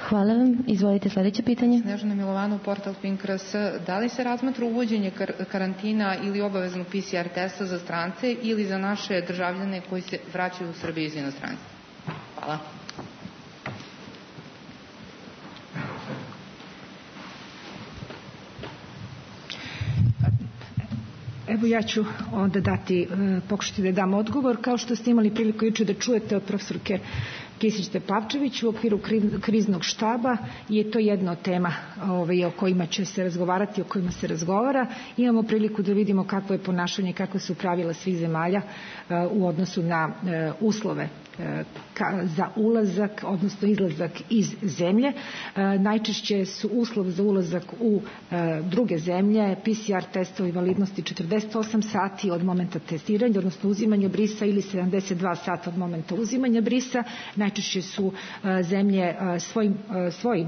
J: Hvala vam. Izvolite sledeće pitanje.
Q: Snežana Milovanov, portal Pink.rs. Da li se razmatra uvođenje karantina ili obaveznog PCR testa za strance ili za naše državljane koji se vraćaju u Srbiju iz inostranstva? Hvala.
I: Evo ja ću onda pokušati da dam odgovor. Kao što ste imali priliku juče da čujete od profesorke Kisić-Tepavčević u okviru kriznog štaba je to jedna od tema o kojima će se razgovarati, o kojima se razgovara. Imamo priliku da vidimo kakvo je ponašanje, kakva su pravila svih zemalja u odnosu na uslove za ulazak, odnosno izlazak iz zemlje. Najčešće su uslov za ulazak u druge zemlje PCR testovi validnosti 48 sati od momenta testiranja, odnosno uzimanja brisa ili 72 sata od momenta uzimanja brisa. Najčešće su zemlje svojim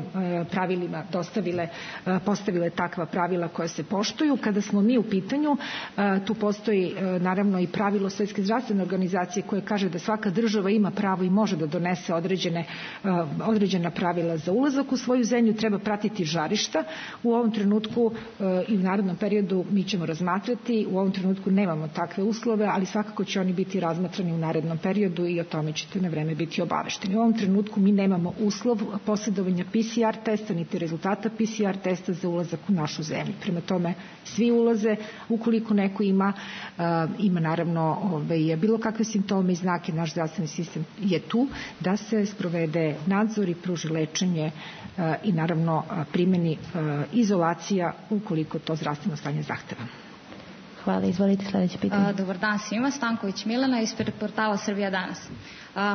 I: pravilima postavile takva pravila koja se poštuju. Kada smo mi u pitanju, tu postoji naravno i pravilo Svjetske zdravstvene organizacije koje kaže da svaka država ima pravo i može da donese određena pravila za ulazak u svoju zemlju, treba pratiti žarišta. U ovom trenutku i u narednom periodu mi ćemo razmatrati, u ovom trenutku nemamo takve uslove, ali svakako će oni biti razmatrani u narednom periodu i o tome ćete na vreme biti obavešteni. U ovom trenutku mi nemamo uslov posjedovanja PCR testa, niti rezultata PCR testa za ulazak u našu zemlju. Prema tome, svi ulaze, ukoliko neko ima naravno bilo kakve simptome i znake, naš zdravstveni sistem je tu da se sprovede nadzor i pruži lečenje i naravno primjeni izolacija ukoliko to zdravstveno stanje zahteva.
J: Hvala, izvolite sljedeće pitanje.
R: Dobar dan svima, Stanković Milena ispred portala Srbija danas.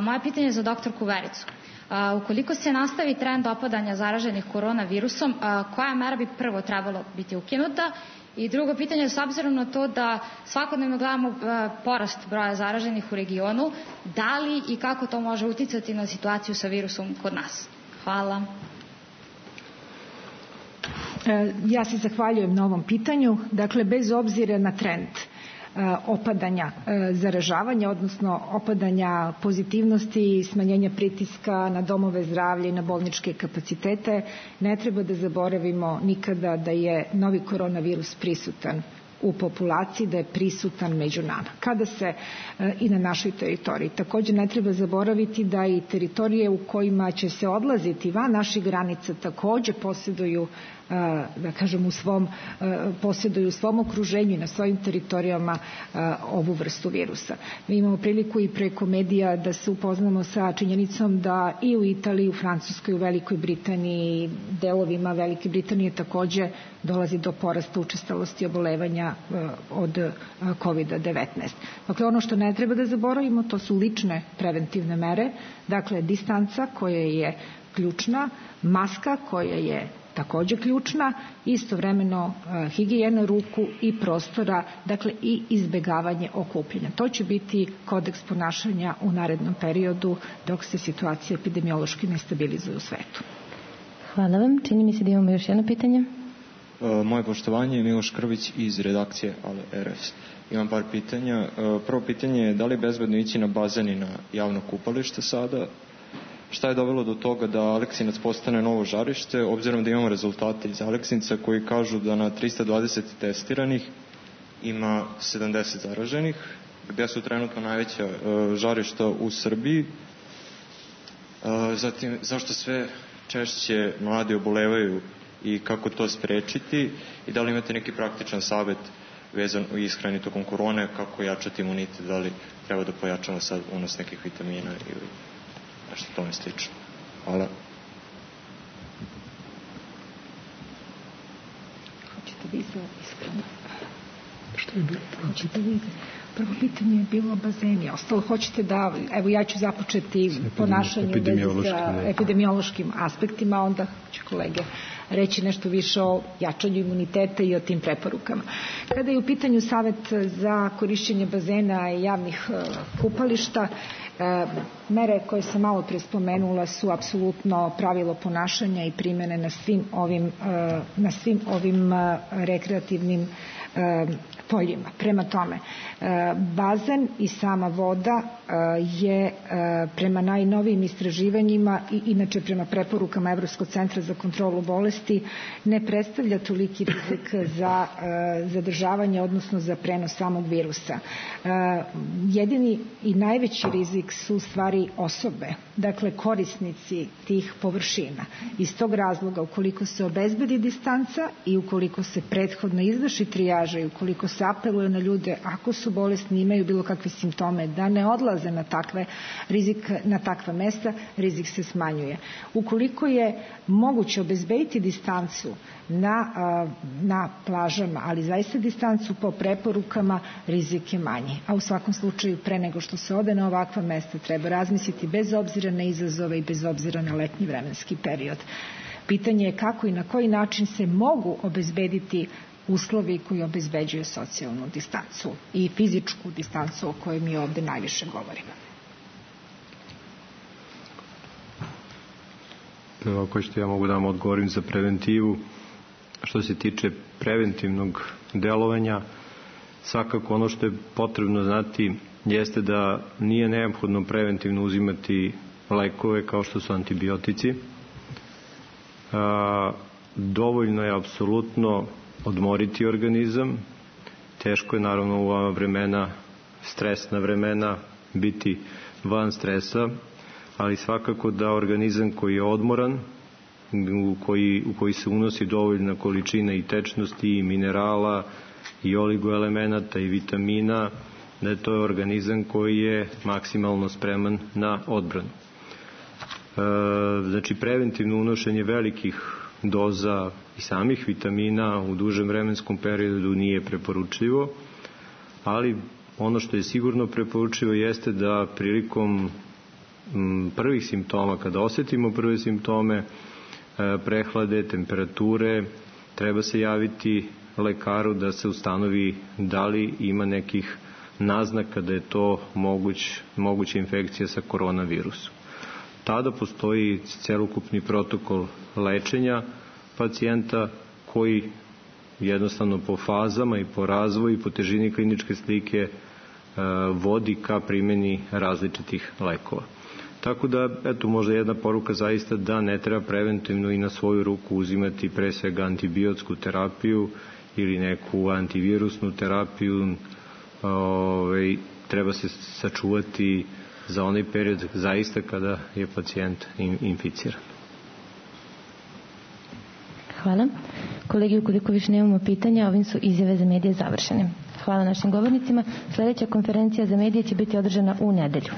R: Moje pitanje je za doktorku Vericu. Ukoliko se nastavi trend opadanja zaraženih koronavirusom, koja mera bi prvo trebalo biti ukinuta? I drugo pitanje je s obzirom na to da svakodnevno gledamo porast broja zaraženih u regionu, da li i kako to može uticati na situaciju sa virusom kod nas? Hvala.
I: Ja se zahvaljujem na ovom pitanju. Dakle, bez obzira na trend opadanja zaražavanja, odnosno opadanja pozitivnosti i smanjenja pritiska na domove zdravlja i na bolničke kapacitete, ne treba da zaboravimo nikada da je novi koronavirus prisutan u populaciji, da je prisutan među nama. Kada se i na našoj teritoriji. Također ne treba zaboraviti da i teritorije u kojima će se odlaziti van naših granica također posjeduju da kažem posjeduju u svom okruženju i na svojim teritorijama ovu vrstu virusa. Mi imamo priliku i preko medija da se upoznamo sa činjenicom da i u Italiji, u Francuskoj, u Velikoj Britaniji, delovima Velike Britanije također dolazi do porasta učestalosti obolevanja od COVID-19. Dakle, ono što ne treba da zaboravimo to su lične preventivne mere, dakle distanca koja je ključna, maska koja je također ključna, istovremeno higijena ruku i prostora, dakle i izbjegavanje okupljanja. To će biti kodeks ponašanja u narednom periodu dok se situacija epidemiološki ne stabilizuje u svetu.
J: Hvala vam. Čini mi se da imamo još jedno pitanje.
S: Moje poštovanje je Miloš Krvić iz redakcije Ale RS. Imam par pitanja. Prvo pitanje je da li je bezbedno ići na bazen i na javno kupalište sada? Šta je dovelo do toga da Aleksinac postane novo žarište, obzirom da imamo rezultate iz Aleksinca koji kažu da na 320 testiranih ima 70 zaraženih, gdje su trenutno najveća žarišta u Srbiji. Zatim, zašto sve češće mladi obolevaju i kako to sprečiti i da li imate neki praktičan savjet vezan u ishrani tokom korone, kako jačati imunitet, da li treba da pojačamo sad unos nekih vitamina ili nešto tome slično. Hvala.
I: Hoćete vi za iskreno? Što je bilo? Hoćete vi? Prvo pitanje je bilo bazeni. Ostalo hoćete da, evo ja ću započeti ponašanje sa epidemiološkim aspektima, onda će kolege reći nešto više o jačanju imuniteta i o tim preporukama. Kada je u pitanju savjet za korišćenje bazena i javnih kupališta, mere koje sam malo prije spomenula su apsolutno pravilo ponašanja i primjene na svim ovim rekreativnim poljima. Prema tome, bazen i sama voda je prema najnovijim istraživanjima i inače prema preporukama Evropskog centra za kontrolu bolesti ne predstavlja toliki rizik za zadržavanje, odnosno za prenos samog virusa. Jedini i najveći rizik su u stvari osobe, dakle korisnici tih površina. Iz tog razloga, ukoliko se obezbedi distanca i ukoliko se prethodno izvrši trijaža i ukoliko se se apeluje na ljude, ako su bolesni, imaju bilo kakve simptome, da ne odlaze na takva mesta, rizik se smanjuje. Ukoliko je moguće obezbediti distancu na plažama, ali zaista distancu po preporukama, rizik je manji. A u svakom slučaju, pre nego što se ode na ovakva mesta, treba razmisliti bez obzira na izazove i bez obzira na letnji vremenski period. Pitanje je kako i na koji način se mogu obezbediti uslovi koji obezbeđuju socijalnu distancu i fizičku distancu o kojoj mi ovde najviše govorimo.
L: Ako ćete, ja mogu da vam odgovorim za preventivu. Što se tiče preventivnog delovanja, svakako ono što je potrebno znati jeste da nije neophodno preventivno uzimati lekove kao što su antibiotici. Dovoljno je apsolutno odmoriti organizam. Teško je naravno u ova vremena, stresna vremena, biti van stresa, ali svakako da organizam koji je odmoran, u koji se unosi dovoljna količina i tečnosti i minerala i oligoelemenata i vitamina, da je to organizam koji je maksimalno spreman na odbranu. Znači, preventivno unošenje velikih doza i samih vitamina u dužem vremenskom periodu nije preporučljivo, ali ono što je sigurno preporučljivo jeste da prilikom prvih simptoma, kada osetimo prve simptome prehlade, temperature, treba se javiti lekaru da se ustanovi da li ima nekih naznaka da je to moguća infekcija sa koronavirusom. Tada postoji celokupni protokol lečenja pacijenta koji jednostavno po fazama i po razvoju i po težini kliničke slike vodi ka primjeni različitih lekova. Tako da, eto, možda jedna poruka zaista da ne treba preventivno i na svoju ruku uzimati pre svega antibiotsku terapiju ili neku antivirusnu terapiju. Treba se sačuvati za onaj period zaista kada je pacijent inficiran.
J: Hvala. Kolegi, ukoliko više nemamo pitanja, ovim su izjave za medije završene. Hvala našim govornicima. Sljedeća konferencija za medije će biti održana u nedelju.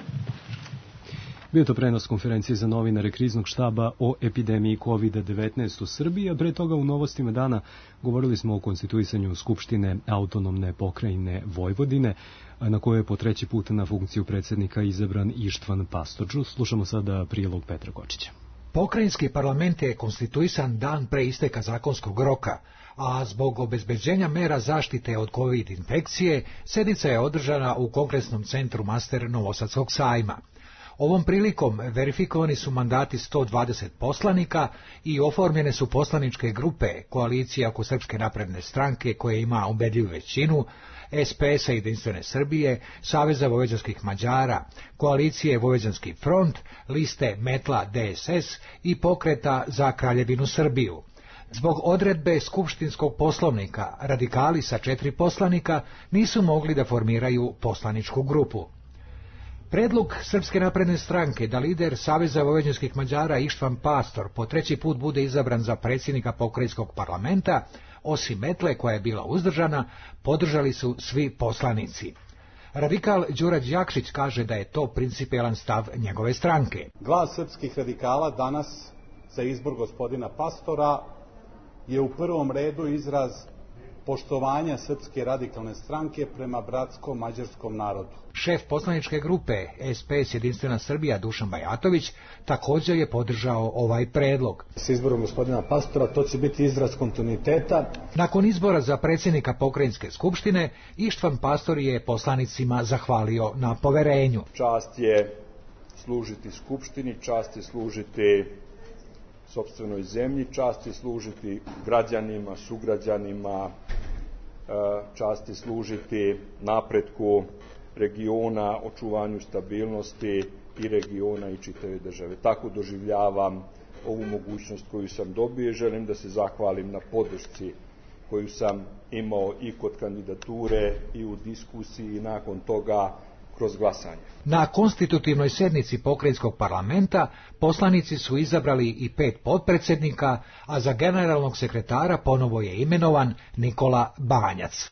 B: Bio to prenos konferencije za novinare Kriznog štaba o epidemiji COVID-19 u Srbiji, a pre toga u novostima dana govorili smo o konstituisanju Skupštine autonomne pokrajine Vojvodine, na kojoj je po treći put na funkciju predsjednika izabran Ištvan Pastorđu. Slušamo sada prilog Petra Kočića.
H: Pokrajinski parlament je konstituisan dan pre isteka zakonskog roka, a zbog obezbeđenja mera zaštite od COVID infekcije, sednica je održana u Kongresnom centru Master Novosadskog sajma. Ovom prilikom verifikovani su mandati 120 poslanika i oformljene su poslaničke grupe Koalicija oko Srpske napredne stranke, koja ima ubedljivu većinu, SPS-a Jedinstvene Srbije, Saveza vojvođanskih Mađara, Koalicije Vojvođanski front, liste Metla DSS i Pokreta za Kraljevinu Srbiju. Zbog odredbe skupštinskog poslovnika, radikali sa 4 poslanika nisu mogli da formiraju poslaničku grupu. Predlog Srpske napredne stranke da lider Saveza vojvođanskih Mađara Ištvan Pastor po treći put bude izabran za predsjednika pokrajinskog parlamenta, osim Metle koja je bila uzdržana, podržali su svi poslanici. Radikal Đura Đakšić kaže da je to principijelan stav njegove stranke.
T: Glas srpskih radikala danas za izbor gospodina Pastora je u prvom redu izraz poštovanja Srpske radikalne stranke prema bratsko-mađarskom narodu.
H: Šef poslaničke grupe SPS Jedinstvena Srbija Dušan Bajatović također je podržao ovaj predlog.
U: S izborom gospodina Pastora to će biti izraz kontinuiteta.
H: Nakon izbora za predsjednika pokrajinske skupštine, Ištvan Pastor je poslanicima zahvalio na poverenju.
V: Čast je služiti skupštini, čast je služiti sopstvenoj zemlji, čast je služiti građanima, sugrađanima, čast je služiti napretku regiona, očuvanju stabilnosti i regiona i čitave države. Tako doživljavam ovu mogućnost koju sam dobio i želim da se zahvalim na podršci koju sam imao i kod kandidature i u diskusiji i nakon toga kroz glasanje.
H: Na konstitutivnoj sednici pokrajinskog parlamenta poslanici su izabrali i 5 potpredsjednika, a za generalnog sekretara ponovo je imenovan Nikola Banjac.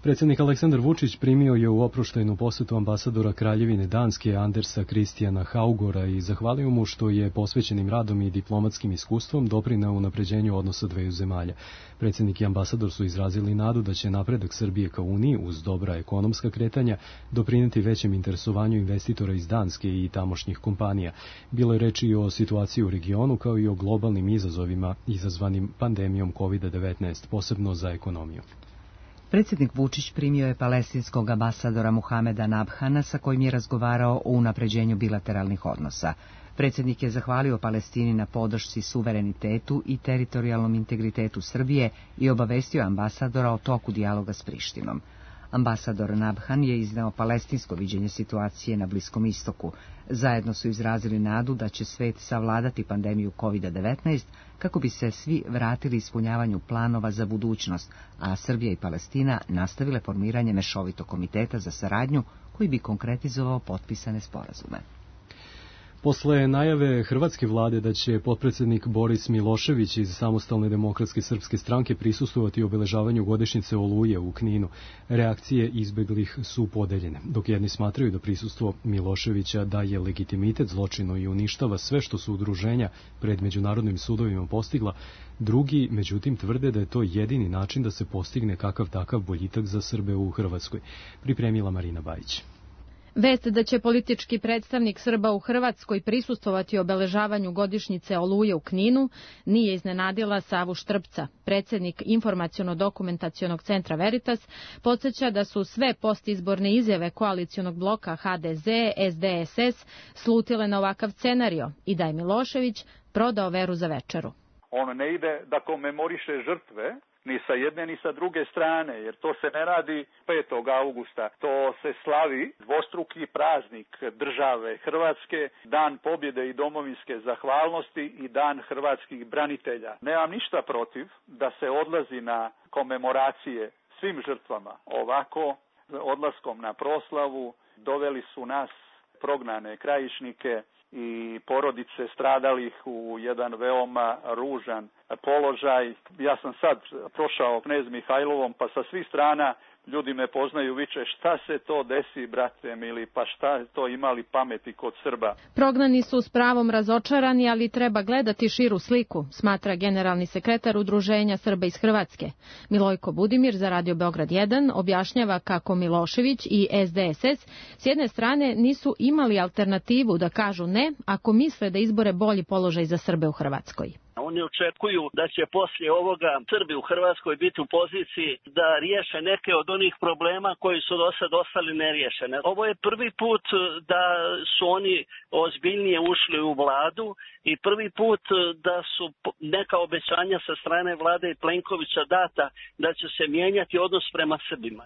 B: Predsjednik Aleksandar Vučić primio je u oproštajnu posetu ambasadora Kraljevine Danske Andersa Kristijana Haugora i zahvalio mu što je posvećenim radom i diplomatskim iskustvom doprineo unapređenju odnosa dveju zemalja. Predsjednik i ambasador su izrazili nadu da će napredak Srbije ka Uniji uz dobra ekonomska kretanja doprineti većem interesovanju investitora iz Danske i tamošnjih kompanija. Bilo je reči i o situaciji u regionu kao i o globalnim izazovima izazvanim pandemijom COVID-19, posebno za ekonomiju.
A: Predsjednik Vučić primio je palestinskog ambasadora Muhameda Nabhana sa kojim je razgovarao o unapređenju bilateralnih odnosa. Predsjednik je zahvalio Palestini na podršci suverenitetu i teritorijalnom integritetu Srbije i obavestio ambasadora o toku dijaloga s Prištinom. Ambasador Nabhan je izneo palestinsko viđenje situacije na Bliskom istoku. Zajedno su izrazili nadu da će svet savladati pandemiju COVID-19 kako bi se svi vratili ispunjavanju planova za budućnost, a Srbija i Palestina nastavile formiranje mešovitog komiteta za saradnju koji bi konkretizovao potpisane sporazume.
B: Posle najave hrvatske vlade da će potpredsjednik Boris Milošević iz Samostalne demokratske srpske stranke prisustvovati obeležavanju godišnjice Oluje u Kninu, reakcije izbeglih su podeljene. Dok jedni smatraju da prisustvo Miloševića daje legitimitet zločinu i uništava sve što su udruženja pred međunarodnim sudovima postigla, drugi, međutim, tvrde da je to jedini način da se postigne kakav takav boljitak za Srbe u Hrvatskoj. Pripremila Marina Bajić.
D: Vest da će politički predstavnik Srba u Hrvatskoj prisustvovati obeležavanju godišnjice Oluje u Kninu nije iznenadila Savu Štrpca. Predsjednik Informaciono-dokumentacionog centra Veritas podsjeća da su sve postizborne izjave koalicionog bloka HDZ, SDSS slutile na ovakav scenario i da je Milošević prodao veru za večeru.
C: On ne ide da komemoriše žrtve, ni sa jedne ni sa druge strane, jer to se ne radi 5. augusta. To se slavi dvostruki praznik države Hrvatske, Dan pobjede i domovinske zahvalnosti i Dan hrvatskih branitelja. Nemam ništa protiv da se odlazi na komemoracije svim žrtvama. Ovako, odlaskom na proslavu, doveli su nas, prognane krajišnike i porodice stradalih u jedan veoma ružan položaj. Ja sam sad prošao Knez Mihajlovom, pa sa svih strana ljudi me poznaju, viče šta se to desi, brate mili, pa šta to imali pameti kod Srba.
D: Prognani su s pravom razočarani, ali treba gledati širu sliku, smatra generalni sekretar Udruženja Srba iz Hrvatske. Milojko Budimir za Radio Beograd 1 objašnjava kako Milošević i SDSS s jedne strane nisu imali alternativu da kažu ne ako misle da izbore bolji položaj za Srbe u Hrvatskoj.
E: Oni očekuju da će poslije ovoga Srbi u Hrvatskoj biti u poziciji da riješe neke od onih problema koji su do sad ostali neriješene. Ovo je prvi put da su oni ozbiljnije ušli u vladu i prvi put da su neka obećanja sa strane vlade i Plenkovića data da će se mijenjati odnos prema Srbima.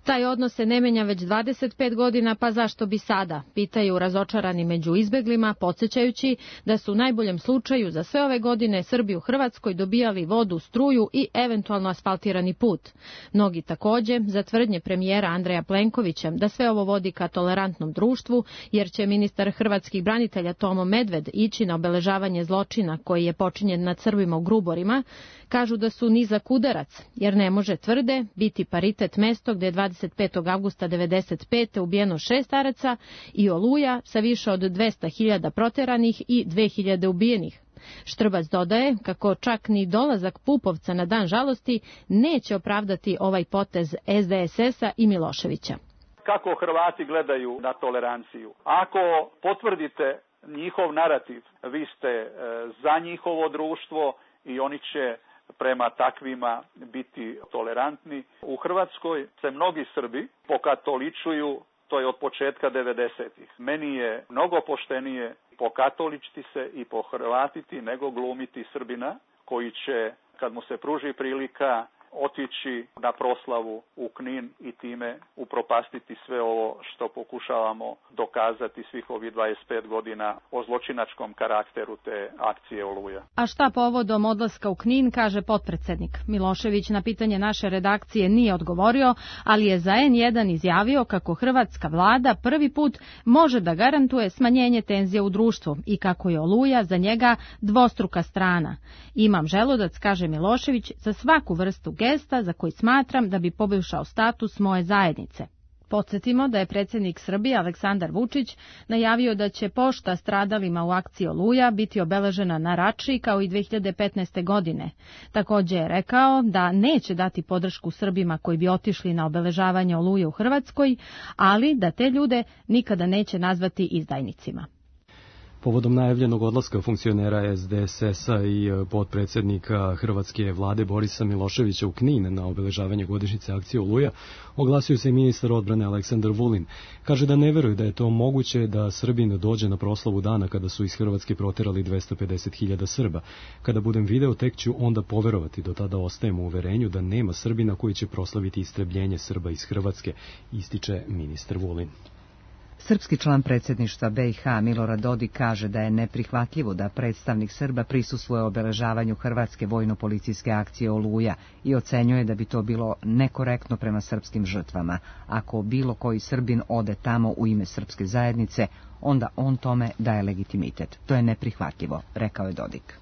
D: Taj odnos se ne menja već 25 godina, pa zašto bi sada? Pitaju razočarani među izbeglima, podsjećajući da su u najboljem slučaju za sve ove godine Srbi u Hrvatskoj dobijali vodu, struju i eventualno asfaltirani put. Mnogi također za tvrdnje premijera Andreja Plenkovića da sve ovo vodi ka tolerantnom društvu, jer će ministar hrvatskih branitelja Tomo Medved ići na obeležavanje zločina koji je počinjen nad Srbima u Gruborima, kažu da su nizak udarac, jer ne može, tvrde, biti paritet mesto gdje je 25. avgusta 1995. ubijeno 6 staraca i Oluja sa više od 200.000 proteranih i 2.000 ubijenih. Štrbac dodaje kako čak ni dolazak Pupovca na dan žalosti neće opravdati ovaj potez SDSS-a i Miloševića.
C: Kako Hrvati gledaju na toleranciju? Ako potvrdite njihov narativ, vi ste za njihovo društvo i oni će prema takvima biti tolerantni. U Hrvatskoj se mnogi Srbi pokatoličuju, to je od početka 90-ih. Meni je mnogo poštenije pokatoličiti se i pohrvatiti nego glumiti Srbina koji će, kad mu se pruži prilika, otići na proslavu u Knin i time upropastiti sve ovo što pokušavamo dokazati svih ovih 25 godina o zločinačkom karakteru te akcije Oluja.
D: A šta povodom odlaska u Knin, kaže potpredsjednik. Milošević na pitanje naše redakcije nije odgovorio, ali je za N1 izjavio kako hrvatska vlada prvi put može da garantuje smanjenje tenzija u društvu i kako je Oluja za njega dvostruka strana. Imam želudac, kaže Milošević, za svaku vrstu
F: gesta za koji smatram da bi poboljšao status moje zajednice. Podsjetimo da je predsjednik Srbije Aleksandar Vučić najavio da će pošta stradalima u akciji Oluja biti obeležena na Rači kao i 2015. godine. Također je rekao da neće dati podršku Srbima koji bi otišli na obeležavanje Oluje u Hrvatskoj, ali da te ljude nikada neće nazvati izdajnicima.
B: Povodom najavljenog odlaska funkcionera SDSS-a i potpredsjednika hrvatske vlade Borisa Miloševića u Knin na obeležavanje godišnjice akcije Oluja, oglasio se i ministar odbrane Aleksandar Vulin. Kaže da ne veruje da je to moguće da Srbin dođe na proslavu dana kada su iz Hrvatske proterali 250.000 Srba. Kada budem video, tek ću onda poverovati, do tada ostajem u uverenju da nema Srbina koji će proslaviti istrebljenje Srba iz Hrvatske, ističe ministar Vulin.
A: Srpski član predsjedništva BiH Milorad Dodik kaže da je neprihvatljivo da predstavnik Srba prisustvuje obeležavanju hrvatske vojno-policijske akcije Oluja i ocenjuje da bi to bilo nekorektno prema srpskim žrtvama. Ako bilo koji Srbin ode tamo u ime srpske zajednice, onda on tome daje legitimitet. To je neprihvatljivo, rekao je Dodik.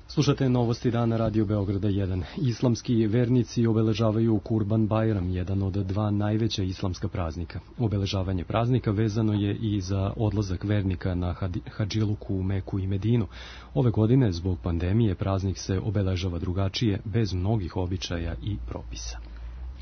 B: Slušate novosti dana Radio Beograda 1. Islamski vernici obeležavaju Kurban Bajram, jedan od dva najveća islamska praznika. Obeležavanje praznika vezano je i za odlazak vernika na hadžiluku u Meku i Medinu. Ove godine, zbog pandemije, praznik se obeležava drugačije, bez mnogih običaja i propisa.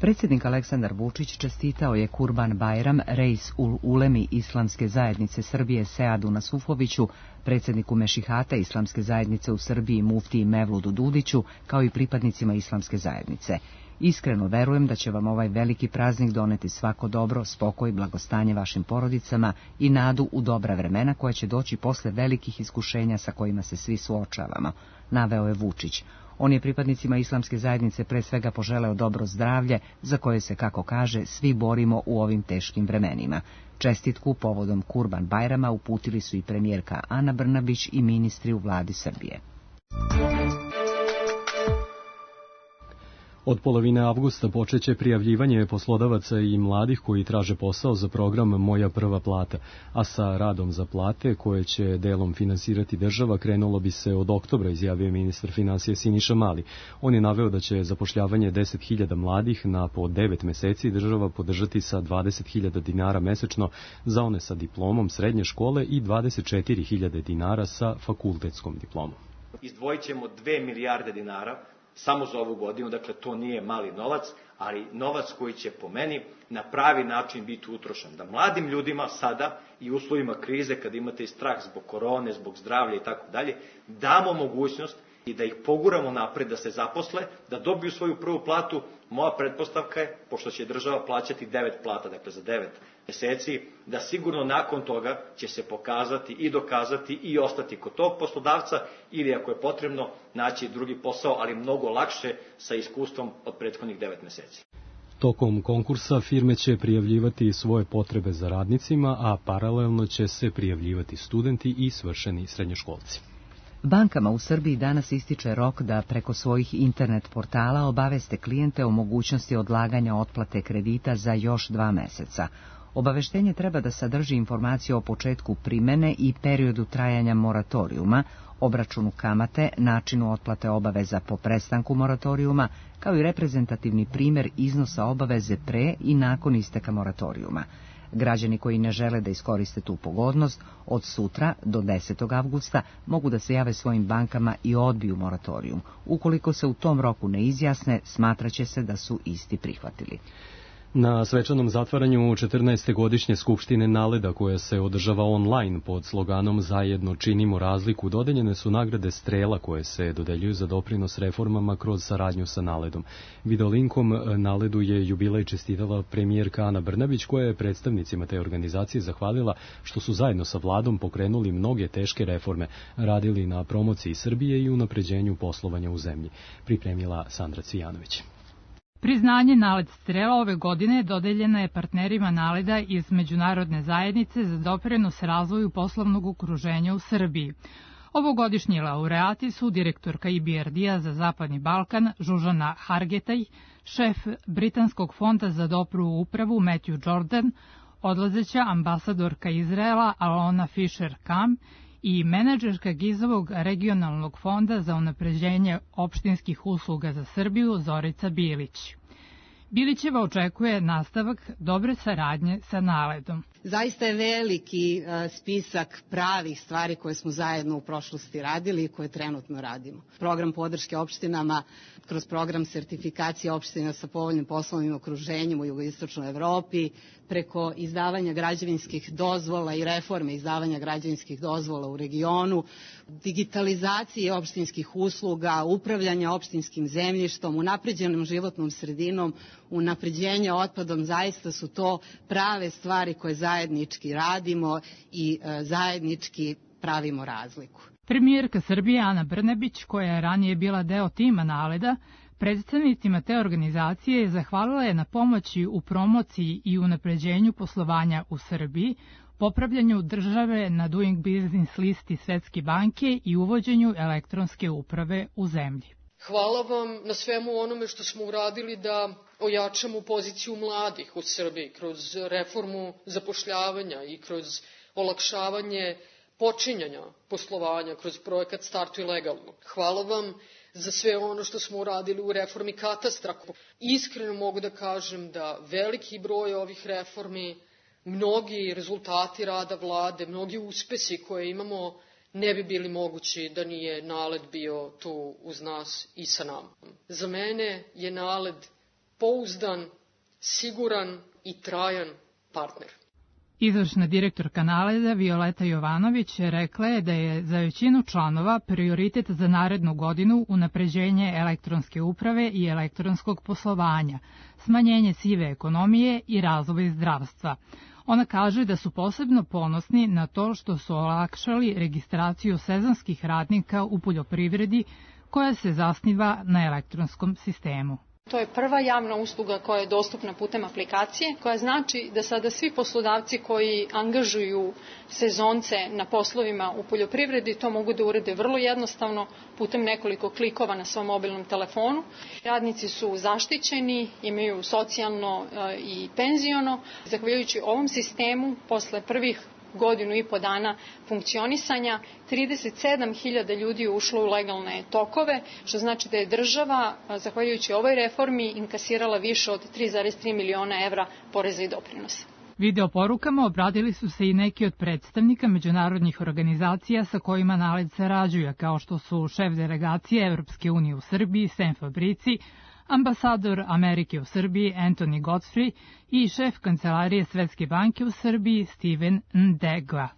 A: Predsjednik Aleksandar Vučić čestitao je Kurban Bajram Reis ul Ulemi Islamske zajednice Srbije Seadu Nasufoviću, predsjedniku Mešihata Islamske zajednice u Srbiji Muftiji Mevludu Dudiću, kao i pripadnicima Islamske zajednice. Iskreno verujem da će vam ovaj veliki praznik doneti svako dobro, spokoj, blagostanje vašim porodicama i nadu u dobra vremena koja će doći posle velikih iskušenja sa kojima se svi suočavamo, naveo je Vučić. On je pripadnicima Islamske zajednice pre svega poželeo dobro zdravlje, za koje se, kako kaže, svi borimo u ovim teškim vremenima. Čestitku povodom Kurban Bajrama uputili su i premijerka Ana Brnabić i ministri u vladi Srbije.
B: Od polovine avgusta počeće prijavljivanje poslodavaca i mladih koji traže posao za program Moja prva plata, a sa radom za plate, koje će delom finansirati država, krenulo bi se od oktobra, izjavio ministar finansija Siniša Mali. On je naveo da će zapošljavanje 10.000 mladih na po 9 meseci država podržati sa 20.000 dinara mesečno za one sa diplomom srednje škole i 24.000 dinara sa fakultetskom diplomom.
G: Izdvojit ćemo 2 milijarde dinara samo za ovu godinu, dakle to nije mali novac, ali novac koji će po meni na pravi način biti utrošen. Da mladim ljudima sada i u uslovima krize, kad imate i strah zbog korone, zbog zdravlja i tako dalje, damo mogućnost i da ih poguramo napred, da se zaposle, da dobiju svoju prvu platu. Moja pretpostavka je, pošto će država plaćati 9 plata, dakle za 9 meseci, da sigurno nakon toga će se pokazati i dokazati i ostati kod tog poslodavca ili ako je potrebno naći drugi posao, ali mnogo lakše sa iskustvom od prethodnih 9 meseci.
B: Tokom konkursa firme će prijavljivati svoje potrebe za radnicima, a paralelno će se prijavljivati studenti i svršeni srednjoškolci.
A: Bankama u Srbiji danas ističe rok da preko svojih internet portala obaveste klijente o mogućnosti odlaganja otplate kredita za još 2 meseca. Obaveštenje treba da sadrži informaciju o početku primene i periodu trajanja moratorijuma, obračunu kamate, načinu otplate obaveza po prestanku moratorijuma, kao i reprezentativni primjer iznosa obaveze pre i nakon isteka moratorijuma. Građani koji ne žele da iskoriste tu pogodnost, od sutra do 10. avgusta mogu da se jave svojim bankama i odbiju moratorijum. Ukoliko se u tom roku ne izjasne, smatraće se da su isti prihvatili.
B: Na svečanom zatvaranju 14. godišnje Skupštine Naleda, koja se održava online pod sloganom Zajedno činimo razliku, dodeljene su nagrade Strela koje se dodeljuju za doprinos reformama kroz saradnju sa Naledom. Videolinkom Naledu je jubilej čestitala premijerka Ana Brnabić, koja je predstavnicima te organizacije zahvalila što su zajedno sa vladom pokrenuli mnoge teške reforme, radili na promociji Srbije i unapređenju poslovanja u zemlji. Pripremila Sandra Cvijanović.
W: Priznanje Naled Strela ove godine dodeljeno je partnerima Naleda iz Međunarodne zajednice za doprinos razvoju poslovnog okruženja u Srbiji. Ovogodišnji laureati su direktorka IBRD-a za Zapadni Balkan Žužana Hargetaj, šef Britanskog fonda za dobru upravu Matthew Jordan, odlazeća ambasadorka Izraela Alona Fisher-Kam i menadžerka GIZ-ovog regionalnog fonda za unapređenje opštinskih usluga za Srbiju Zorica Bilić. Bilićeva očekuje nastavak dobre saradnje sa NALED-om.
K: Zaista je veliki spisak pravih stvari koje smo zajedno u prošlosti radili i koje trenutno radimo. Program podrške opštinama kroz program sertifikacije opština sa povoljnim poslovnim okruženjem u jugoistočnoj Evropi, preko izdavanja građevinskih dozvola i reforme izdavanja građevinskih dozvola u regionu, digitalizacije opštinskih usluga, upravljanja opštinskim zemljištom, unapređenom životnom sredinom, unapređenje otpadom, zaista su to prave stvari koje zajednički radimo i zajednički pravimo razliku.
W: Premijerka Srbije Ana Brnabić, koja je ranije bila deo tima NALED-a, predstavnicima te organizacije zahvalila je na pomoći u promociji i unapređenju poslovanja u Srbiji, popravljanju države na Doing Business listi Svetske banke i uvođenju elektronske uprave u zemlji.
M: Hvala vam na svemu onome što smo uradili da ojačamo poziciju mladih u Srbiji kroz reformu zapošljavanja i kroz olakšavanje počinjanja poslovanja kroz projekat Startuj legalno. Hvala vam za sve ono što smo uradili u reformi katastra. Iskreno mogu da kažem da veliki broj ovih reformi, mnogi rezultati rada vlade, mnogi uspesi koje imamo ne bi bili mogući da nije NALED bio tu uz nas i sa nama. Za mene je NALED pouzdan, siguran i trajan partner.
W: Izvršna direktorka NALED-a Violeta Jovanović rekla je da je za većinu članova prioritet za narednu godinu unapređenje elektronske uprave i elektronskog poslovanja, smanjenje sive ekonomije i razvoj zdravstva. Ona kaže da su posebno ponosni na to što su olakšali registraciju sezonskih radnika u poljoprivredi koja se zasniva na elektronskom sistemu.
N: To je prva javna usluga koja je dostupna putem aplikacije, koja znači da sada svi poslodavci koji angažuju sezonce na poslovima u poljoprivredi to mogu da urede vrlo jednostavno putem nekoliko klikova na svom mobilnom telefonu. Radnici su zaštićeni, imaju socijalno i penziono. Zahvaljujući ovom sistemu, posle prvih godinu i po dana funkcionisanja, 37.000 ljudi je ušlo u legalne tokove, što znači da je država, zahvaljujući ovoj reformi, inkasirala više od 3,3 miliona evra poreza i doprinosa.
W: Video porukama obradili su se i neki od predstavnika međunarodnih organizacija sa kojima NALED sarađuje, kao što su šef delegacije Evropske unije u Srbiji, Sam Fabrici, ambasador Amerike u Srbiji Anthony Godfrey i šef kancelarije Svetske banke u Srbiji Steven Ndegla.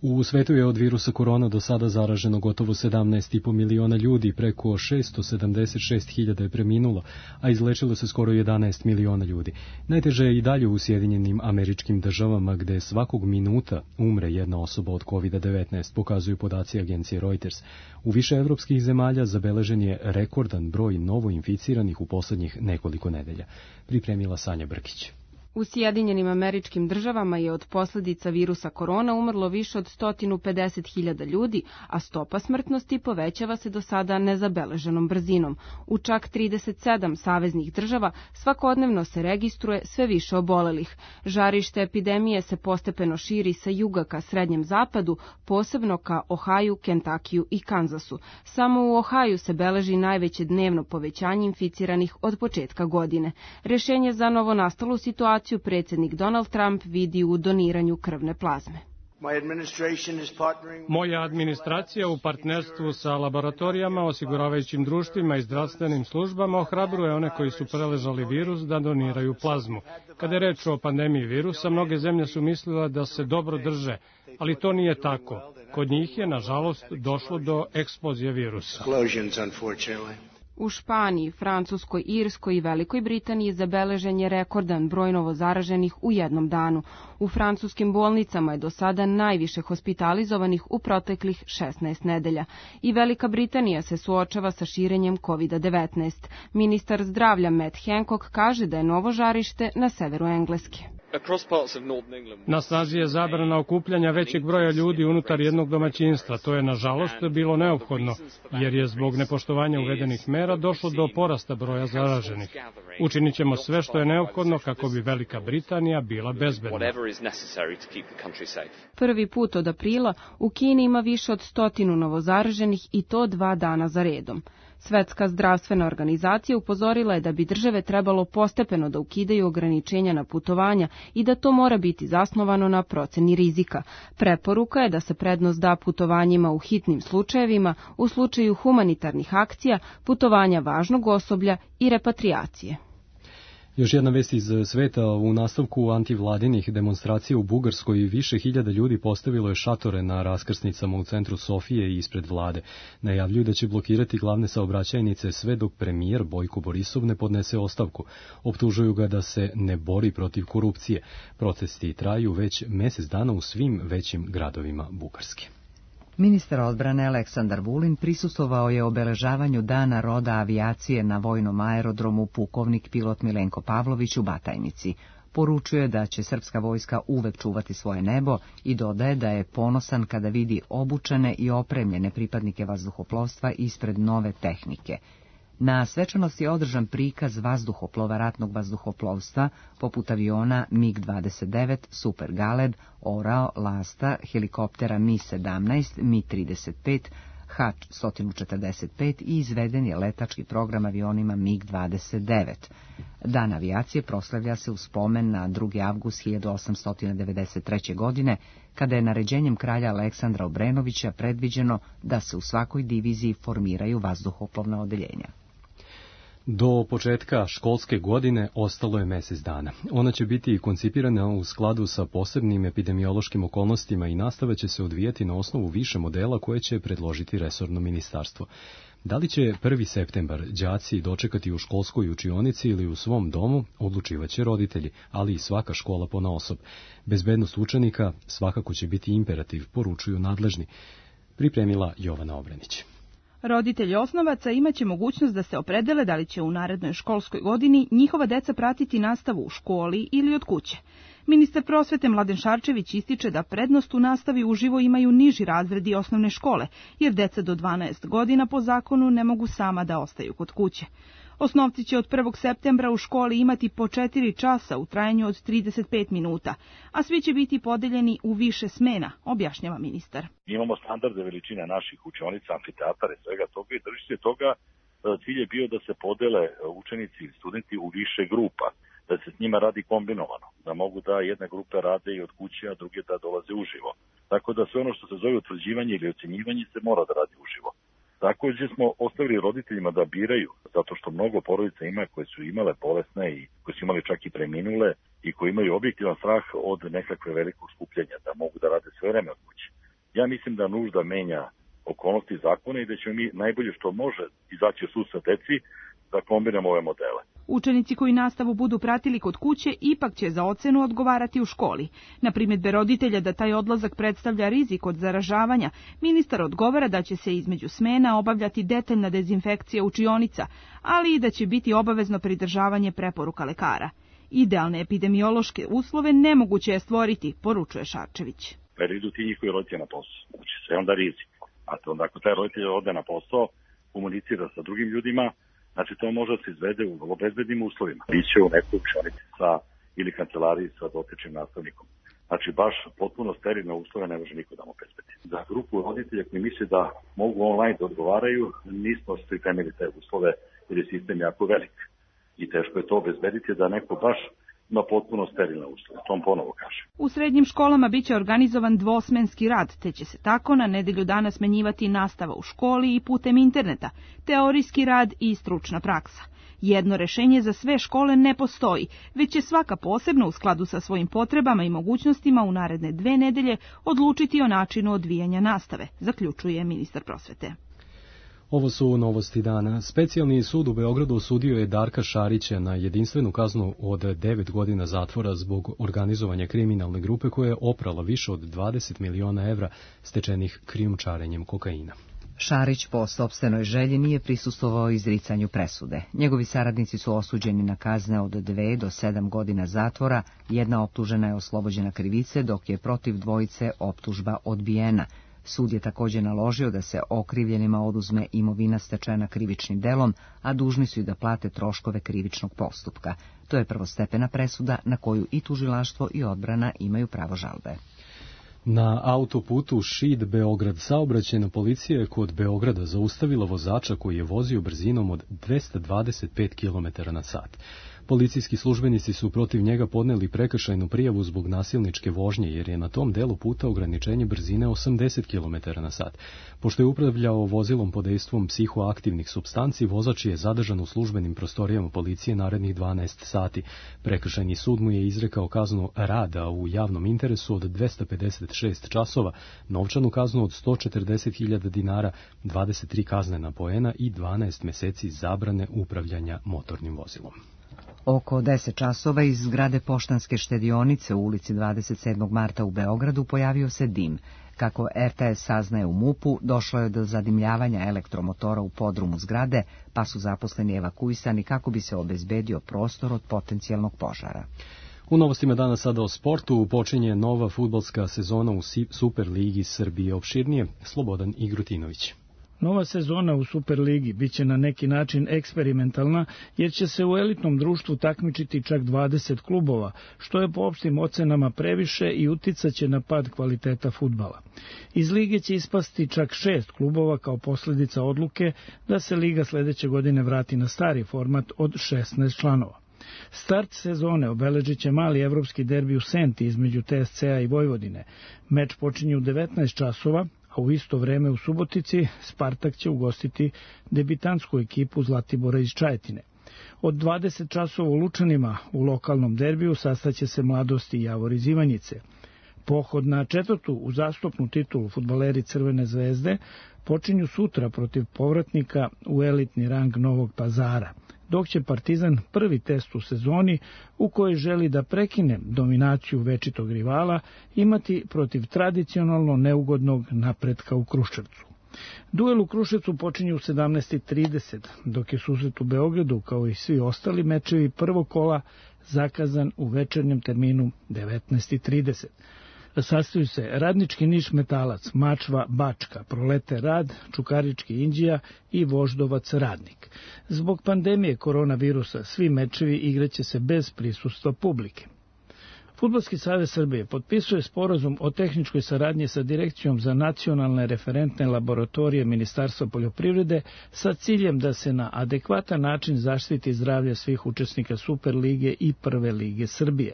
B: U svetu je od virusa korona do sada zaraženo gotovo 17,5 miliona ljudi, preko 676.000 je preminulo, a izlečilo se skoro 11 miliona ljudi. Najteže je i dalje u Sjedinjenim Američkim Državama, gde svakog minuta umre jedna osoba od COVID-19, pokazuju podaci agencije Reuters. U više evropskih zemalja zabeležen je rekordan broj novoinficiranih u poslednjih nekoliko nedelja. Pripremila Sanja Brkić.
X: U Sjedinjenim Američkim Državama je od posljedica virusa korona umrlo više od 150.000 ljudi, a stopa smrtnosti povećava se do sada nezabeleženom brzinom. U čak 37 saveznih država svakodnevno se registruje sve više obolelih. Žarište epidemije se postepeno širi sa juga ka srednjem zapadu, posebno ka Ohaju, Kentakiju i Kanzasu. Samo u Ohaju se beleži najveće dnevno povećanje inficiranih od početka godine. Rješenje za novonastalu situaciju predsjednik Donald Trump vidi u doniranju krvne plazme.
Y: Moja administracija u partnerstvu sa laboratorijama, osiguravajućim društvima i zdravstvenim službama ohrabruje one koji su preležali virus da doniraju plazmu. Kada je reč o pandemiji virusa, mnoge zemlje su mislile da se dobro drže, ali to nije tako. Kod njih je, nažalost, došlo do eksplozije virusa.
X: U Španiji, Francuskoj, Irskoj i Velikoj Britaniji zabeležen je rekordan broj novozaraženih u jednom danu. U francuskim bolnicama je do sada najviše hospitalizovanih u proteklih 16 nedelja. I Velika Britanija se suočava sa širenjem COVID-19. Ministar zdravlja Matt Hancock kaže da je novo žarište na severu Engleske.
Y: Na snazi je zabrana okupljanja većeg broja ljudi unutar jednog domaćinstva. To je, nažalost, bilo neophodno, jer je zbog nepoštovanja uvedenih mera došlo do porasta broja zaraženih. Učinit ćemo sve što je neophodno kako bi Velika Britanija bila bezbedna.
X: Prvi put od aprila u Kini ima više od 100 novozaraženih i to 2 dana za redom. Svetska zdravstvena organizacija upozorila je da bi države trebalo postepeno da ukidaju ograničenja na putovanja i da to mora biti zasnovano na proceni rizika. Preporuka je da se prednost da putovanjima u hitnim slučajevima, u slučaju humanitarnih akcija, putovanja važnog osoblja i repatriacije.
B: Još jedna vest iz sveta. U nastavku antivladinih demonstracija u Bugarskoj više hiljada ljudi postavilo je šatore na raskrsnicama u centru Sofije i ispred vlade. Najavljuju da će blokirati glavne saobraćajnice sve dok premijer Bojko Borisov ne podnese ostavku. Optužuju ga da se ne bori protiv korupcije. Protesti traju već mjesec dana u svim većim gradovima Bugarske.
A: Ministar odbrane Aleksandar Vulin prisustvovao je obeležavanju Dana roda avijacije na vojnom aerodromu pukovnik pilot Milenko Pavlović u Batajnici. Poručuje da će srpska vojska uvek čuvati svoje nebo i dodaje da je ponosan kada vidi obučene i opremljene pripadnike vazduhoplovstva ispred nove tehnike. Na svečanosti je održan prikaz vazduhoplova ratnog vazduhoplovstva poput aviona MiG-29, Super Galeb, Orao, Lasta, helikoptera Mi-17, Mi-35, H-145 i izveden je letački program avionima MiG-29. Dan avijacije proslavlja se u spomen na 2. avgust 1893. godine, kada je naređenjem kralja Aleksandra Obrenovića predviđeno da se u svakoj diviziji formiraju vazduhoplovna odeljenja.
B: Do početka školske godine ostalo je mjesec dana. Ona će biti koncipirana u skladu sa posebnim epidemiološkim okolnostima i nastava će se odvijati na osnovu više modela koje će predložiti resorno ministarstvo. Da li će 1. septembar đaci dočekati u školskoj učionici ili u svom domu, odlučivaće roditelji, ali i svaka škola ponaosob. Bezbednost učenika svakako će biti imperativ, poručuju nadležni. Pripremila Jovana Obrenić.
O: Roditelji osnovaca imaće mogućnost da se opredele da li će u narednoj školskoj godini njihova deca pratiti nastavu u školi ili od kuće. Ministar prosvete Mladen Šarčević ističe da prednost u nastavi uživo imaju niži razredi osnovne škole, jer deca do 12 godina po zakonu ne mogu sama da ostaju kod kuće. Osnovci će od 1. septembra u školi imati po 4 časa u trajanju od 35 minuta, a svi će biti podeljeni u više smena, objašnjava ministar.
P: Imamo standardne veličine naših učionica, amfiteatara i svega toga i držite toga cilj je bio da se podele učenici i studenti u više grupa, da se s njima radi kombinovano, da mogu da jedne grupe rade i od kuće, a druge da dolaze uživo. Tako da sve ono što se zove utvrđivanje ili ocenjivanje se mora da radi uživo. Također smo ostavili roditeljima da biraju, zato što mnogo porodica ima koje su imale bolesne i koje su imali čak i preminule i koji imaju objektivan strah od nekakve velikog skupljenja, da mogu da rade sve vreme od kuće. Ja mislim da nužda menja okolnosti zakona i da ćemo mi najbolje što može izaći u susret deci da kombinamo ove modele.
O: Učenici koji nastavu budu pratili kod kuće ipak će za ocenu odgovarati u školi. Na primjedbe roditelja da taj odlazak predstavlja rizik od zaražavanja, ministar odgovara da će se između smena obavljati detaljna dezinfekcija učionica, ali i da će biti obavezno pridržavanje preporuka lekara. Idealne epidemiološke uslove nemoguće je stvoriti, poručuje Šarčević.
P: Jer idu ti njihovi roditelji na posao, znači sve onda rizik. A to onda ako taj roditelj ode na posao, komunicira sa drugim ljudima, znači to može da se izvede u vrlo bezbednim uslovima. Biće u nekoj učionici ili kancelariji sa dotičnim nastavnikom. Znači baš potpuno sterilne uslove ne može niko da mu obezbedi. Za grupu roditelja koji misle da mogu online da odgovaraju, nismo pripremili te uslove jer je sistem jako velik. I teško je to obezbediti da neko baš ima potpuno sterilne uslove. To on ponovo kaže.
O: U srednjim školama biće organizovan dvosmenski rad, te će se tako na nedelju dana smenjivati nastava u školi i putem interneta, teorijski rad i stručna praksa. Jedno rešenje za sve škole ne postoji, već će svaka posebno u skladu sa svojim potrebama i mogućnostima u naredne 2 nedelje odlučiti o načinu odvijanja nastave, zaključuje ministar prosvete.
B: Ovo su novosti dana. Specijalni sud u Beogradu osudio je Darka Šarića na jedinstvenu kaznu od 9 godina zatvora zbog organizovanja kriminalne grupe koja je oprala više od 20 miliona evra stečenih krijumčarenjem kokaina.
A: Šarić po sopstvenoj želji nije prisustvovao izricanju presude. Njegovi saradnici su osuđeni na kazne od 2 do 7 godina zatvora, jedna optužena je oslobođena krivice, dok je protiv dvojice optužba odbijena. Sud je također naložio da se okrivljenima oduzme imovina stečena krivičnim delom, a dužni su i da plate troškove krivičnog postupka. To je prvostepena presuda na koju i tužilaštvo i odbrana imaju pravo žalbe.
B: Na autoputu Šid Beograd saobraćajna policija je kod Beograda zaustavila vozača koji je vozio brzinom od 225 km/h. Policijski službenici su protiv njega podneli prekršajnu prijavu zbog nasilničke vožnje, jer je na tom delu puta ograničenje brzine 80 km/h. Pošto je upravljao vozilom pod dejstvom psihoaktivnih supstanci, vozač je zadržan u službenim prostorijama policije narednih 12 sati. Prekršajni sud mu je izrekao kaznu rada u javnom interesu od 256 časova, novčanu kaznu od 140.000 dinara, 23 kaznena poena i 12 meseci zabrane upravljanja motornim vozilom.
A: Oko 10 časova iz zgrade Poštanske štedionice u ulici 27. marta u Beogradu pojavio se dim. Kako RTS saznaje u MUP-u, došlo je do zadimljavanja elektromotora u podrumu zgrade, pa su zaposleni evakuisani kako bi se obezbedio prostor od potencijalnog požara.
B: U novostima dana sada o sportu počinje nova fudbalska sezona u Superligi Srbije. Opširnije Slobodan Igrutinović.
I: Nova sezona u Superligi biće na neki način eksperimentalna, jer će se u elitnom društvu takmičiti čak 20 klubova, što je po opštim ocenama previše i uticaće na pad kvaliteta fudbala. Iz lige će ispasti čak 6 klubova kao posljedica odluke da se liga sledeće godine vrati na stari format od 16 članova. Start sezone obeležit će mali evropski derbi u Senti između TSC-a i Vojvodine. Meč počinje u 19 časova, a u isto vreme u Subotici Spartak će ugostiti debitantsku ekipu Zlatibora iz Čajetine. Od 20 časova u Lučanima u lokalnom derbiju sastaće se Mladost i Javor iz Ivanjice. Pohod na 4. uzastopnu titulu fudbaleri Crvene zvezde počinju sutra protiv povratnika u elitni rang Novog Pazara, dok će Partizan prvi test u sezoni u kojoj želi da prekine dominaciju večitog rivala imati protiv tradicionalno neugodnog Napretka u Kruševcu. Duel u Kruševcu počinje u 17:30, dok je susret u Beogradu, kao i svi ostali mečevi prvog kola, zakazan u večernjem terminu 19:30. Sastaju se Radnički Niš Metalac, Mačva Bačka, Prolete Rad, Čukarički Inđija i Voždovac Radnik. Zbog pandemije koronavirusa svi mečevi igraće se bez prisustva publike. Fudbalski savez Srbije potpisuje sporazum o tehničkoj saradnji sa Direkcijom za nacionalne referentne laboratorije Ministarstva poljoprivrede sa ciljem da se na adekvatan način zaštiti zdravlje svih učesnika Superlige i Prve lige Srbije.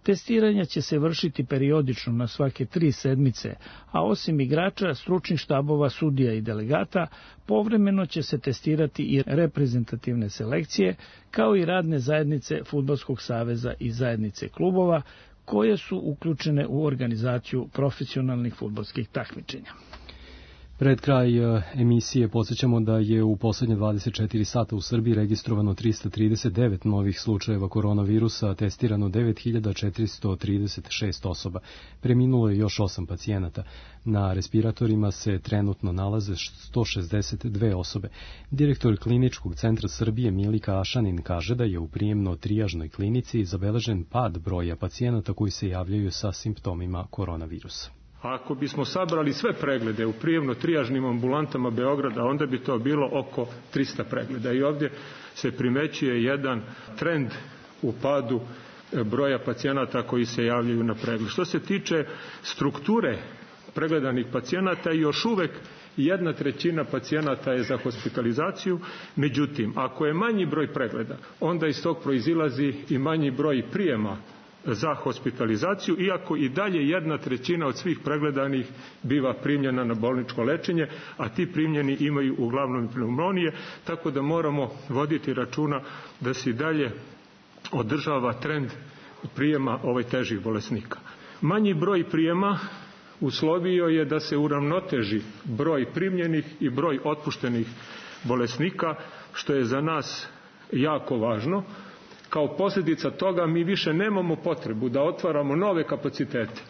I: Testiranja će se vršiti periodično na svake 3 sedmice, a osim igrača, stručnih štabova, sudija i delegata, povremeno će se testirati i reprezentativne selekcije, kao i radne zajednice Fudbalskog saveza i zajednice klubova, koje su uključene u organizaciju profesionalnih fudbalskih takmičenja.
B: Pred kraj emisije podsjećamo da je u poslednje 24 sata u Srbiji registrovano 339 novih slučajeva koronavirusa, testirano 9436 osoba. Preminulo je još 8 pacijenata. Na respiratorima se trenutno nalaze 162 osobe. Direktor Kliničkog centra Srbije Milika Ašanin kaže da je u prijemno-trijažnoj klinici zabeležen pad broja pacijenata koji se javljaju sa simptomima koronavirusa.
L: Ako bismo sabrali sve preglede u prijemno-trijažnim ambulantama Beograda, onda bi to bilo oko 300 pregleda. I ovdje se primećuje jedan trend u padu broja pacijenata koji se javljaju na pregled. Što se tiče strukture pregledanih pacijenata, još uvek 1/3 pacijenata je za hospitalizaciju. Međutim, ako je manji broj pregleda, onda iz tog proizilazi i manji broj prijema za hospitalizaciju, iako i dalje 1/3 od svih pregledanih biva primljena na bolničko lečenje, a ti primljeni imaju uglavnom pneumonije, tako da moramo voditi računa da se i dalje održava trend prijema težih bolesnika. Manji broj prijema uslovio je da se uravnoteži broj primljenih i broj otpuštenih bolesnika, što je za nas jako važno. Kao posljedica toga mi više nemamo potrebu da otvaramo nove kapacitete.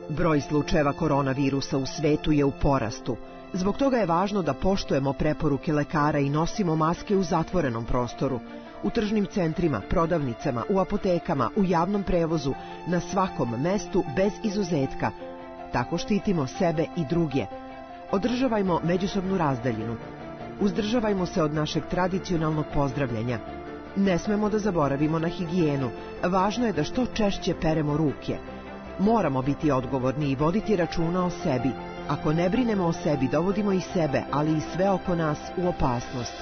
Q: Broj slučajeva koronavirusa u svetu je u porastu.
J: Zbog toga je važno da poštujemo preporuke lekara i nosimo maske u zatvorenom prostoru, u tržnim centrima, prodavnicama, u apotekama, u javnom prevozu, na svakom mestu bez izuzetka. Tako štitimo sebe i druge. Održavajmo međusobnu razdaljinu. Uzdržavajmo se od našeg tradicionalnog pozdravljanja. Ne smemo da zaboravimo na higijenu. Važno je da što češće peremo ruke. Moramo biti odgovorni i voditi računa o sebi. Ako ne brinemo o sebi, dovodimo i sebe, ali i sve oko nas u opasnost.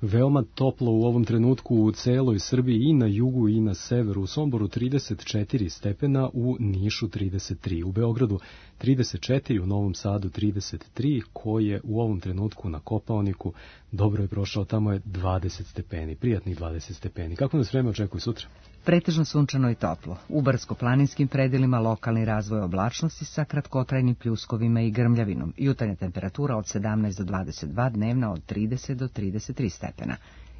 B: Veoma toplo u ovom trenutku u celoj Srbiji i na jugu i na severu. U Somboru 34 stepena, u Nišu 33, u Beogradu 34, u Novom Sadu 33, koji je u ovom trenutku na Kopaoniku. Dobro je prošao, tamo je 20 stepeni, prijatnih 20 stepeni. Kako nas vreme očekuje sutra?
A: Pretežno sunčano i toplo. U brdsko-planinskim predelima lokalni razvoj oblačnosti sa kratkotrajnim pljuskovima i grmljavinom. Jutarnja temperatura od 17 do 22, dnevna od 30 do 33 stepena.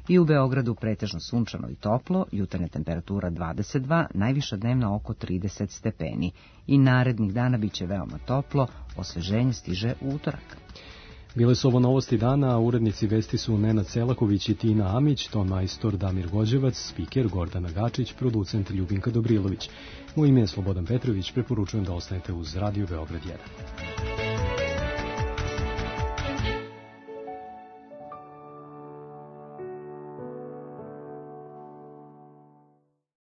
A: I u Beogradu pretežno sunčano i toplo, jutarnja temperatura 22, najviša dnevna oko 30 stepeni. I narednih dana biće veoma toplo, osveženje stiže u utorak.
B: Bile su ovo novosti dana, a urednici vesti su Nenad Selaković i Tina Amić, ton majstor Damir Gođevac, spiker Gordana Gačić, producent Ljubinka Dobrilović. Moje ime je Slobodan Petrović, preporučujem da ostanete uz Radio Beograd 1.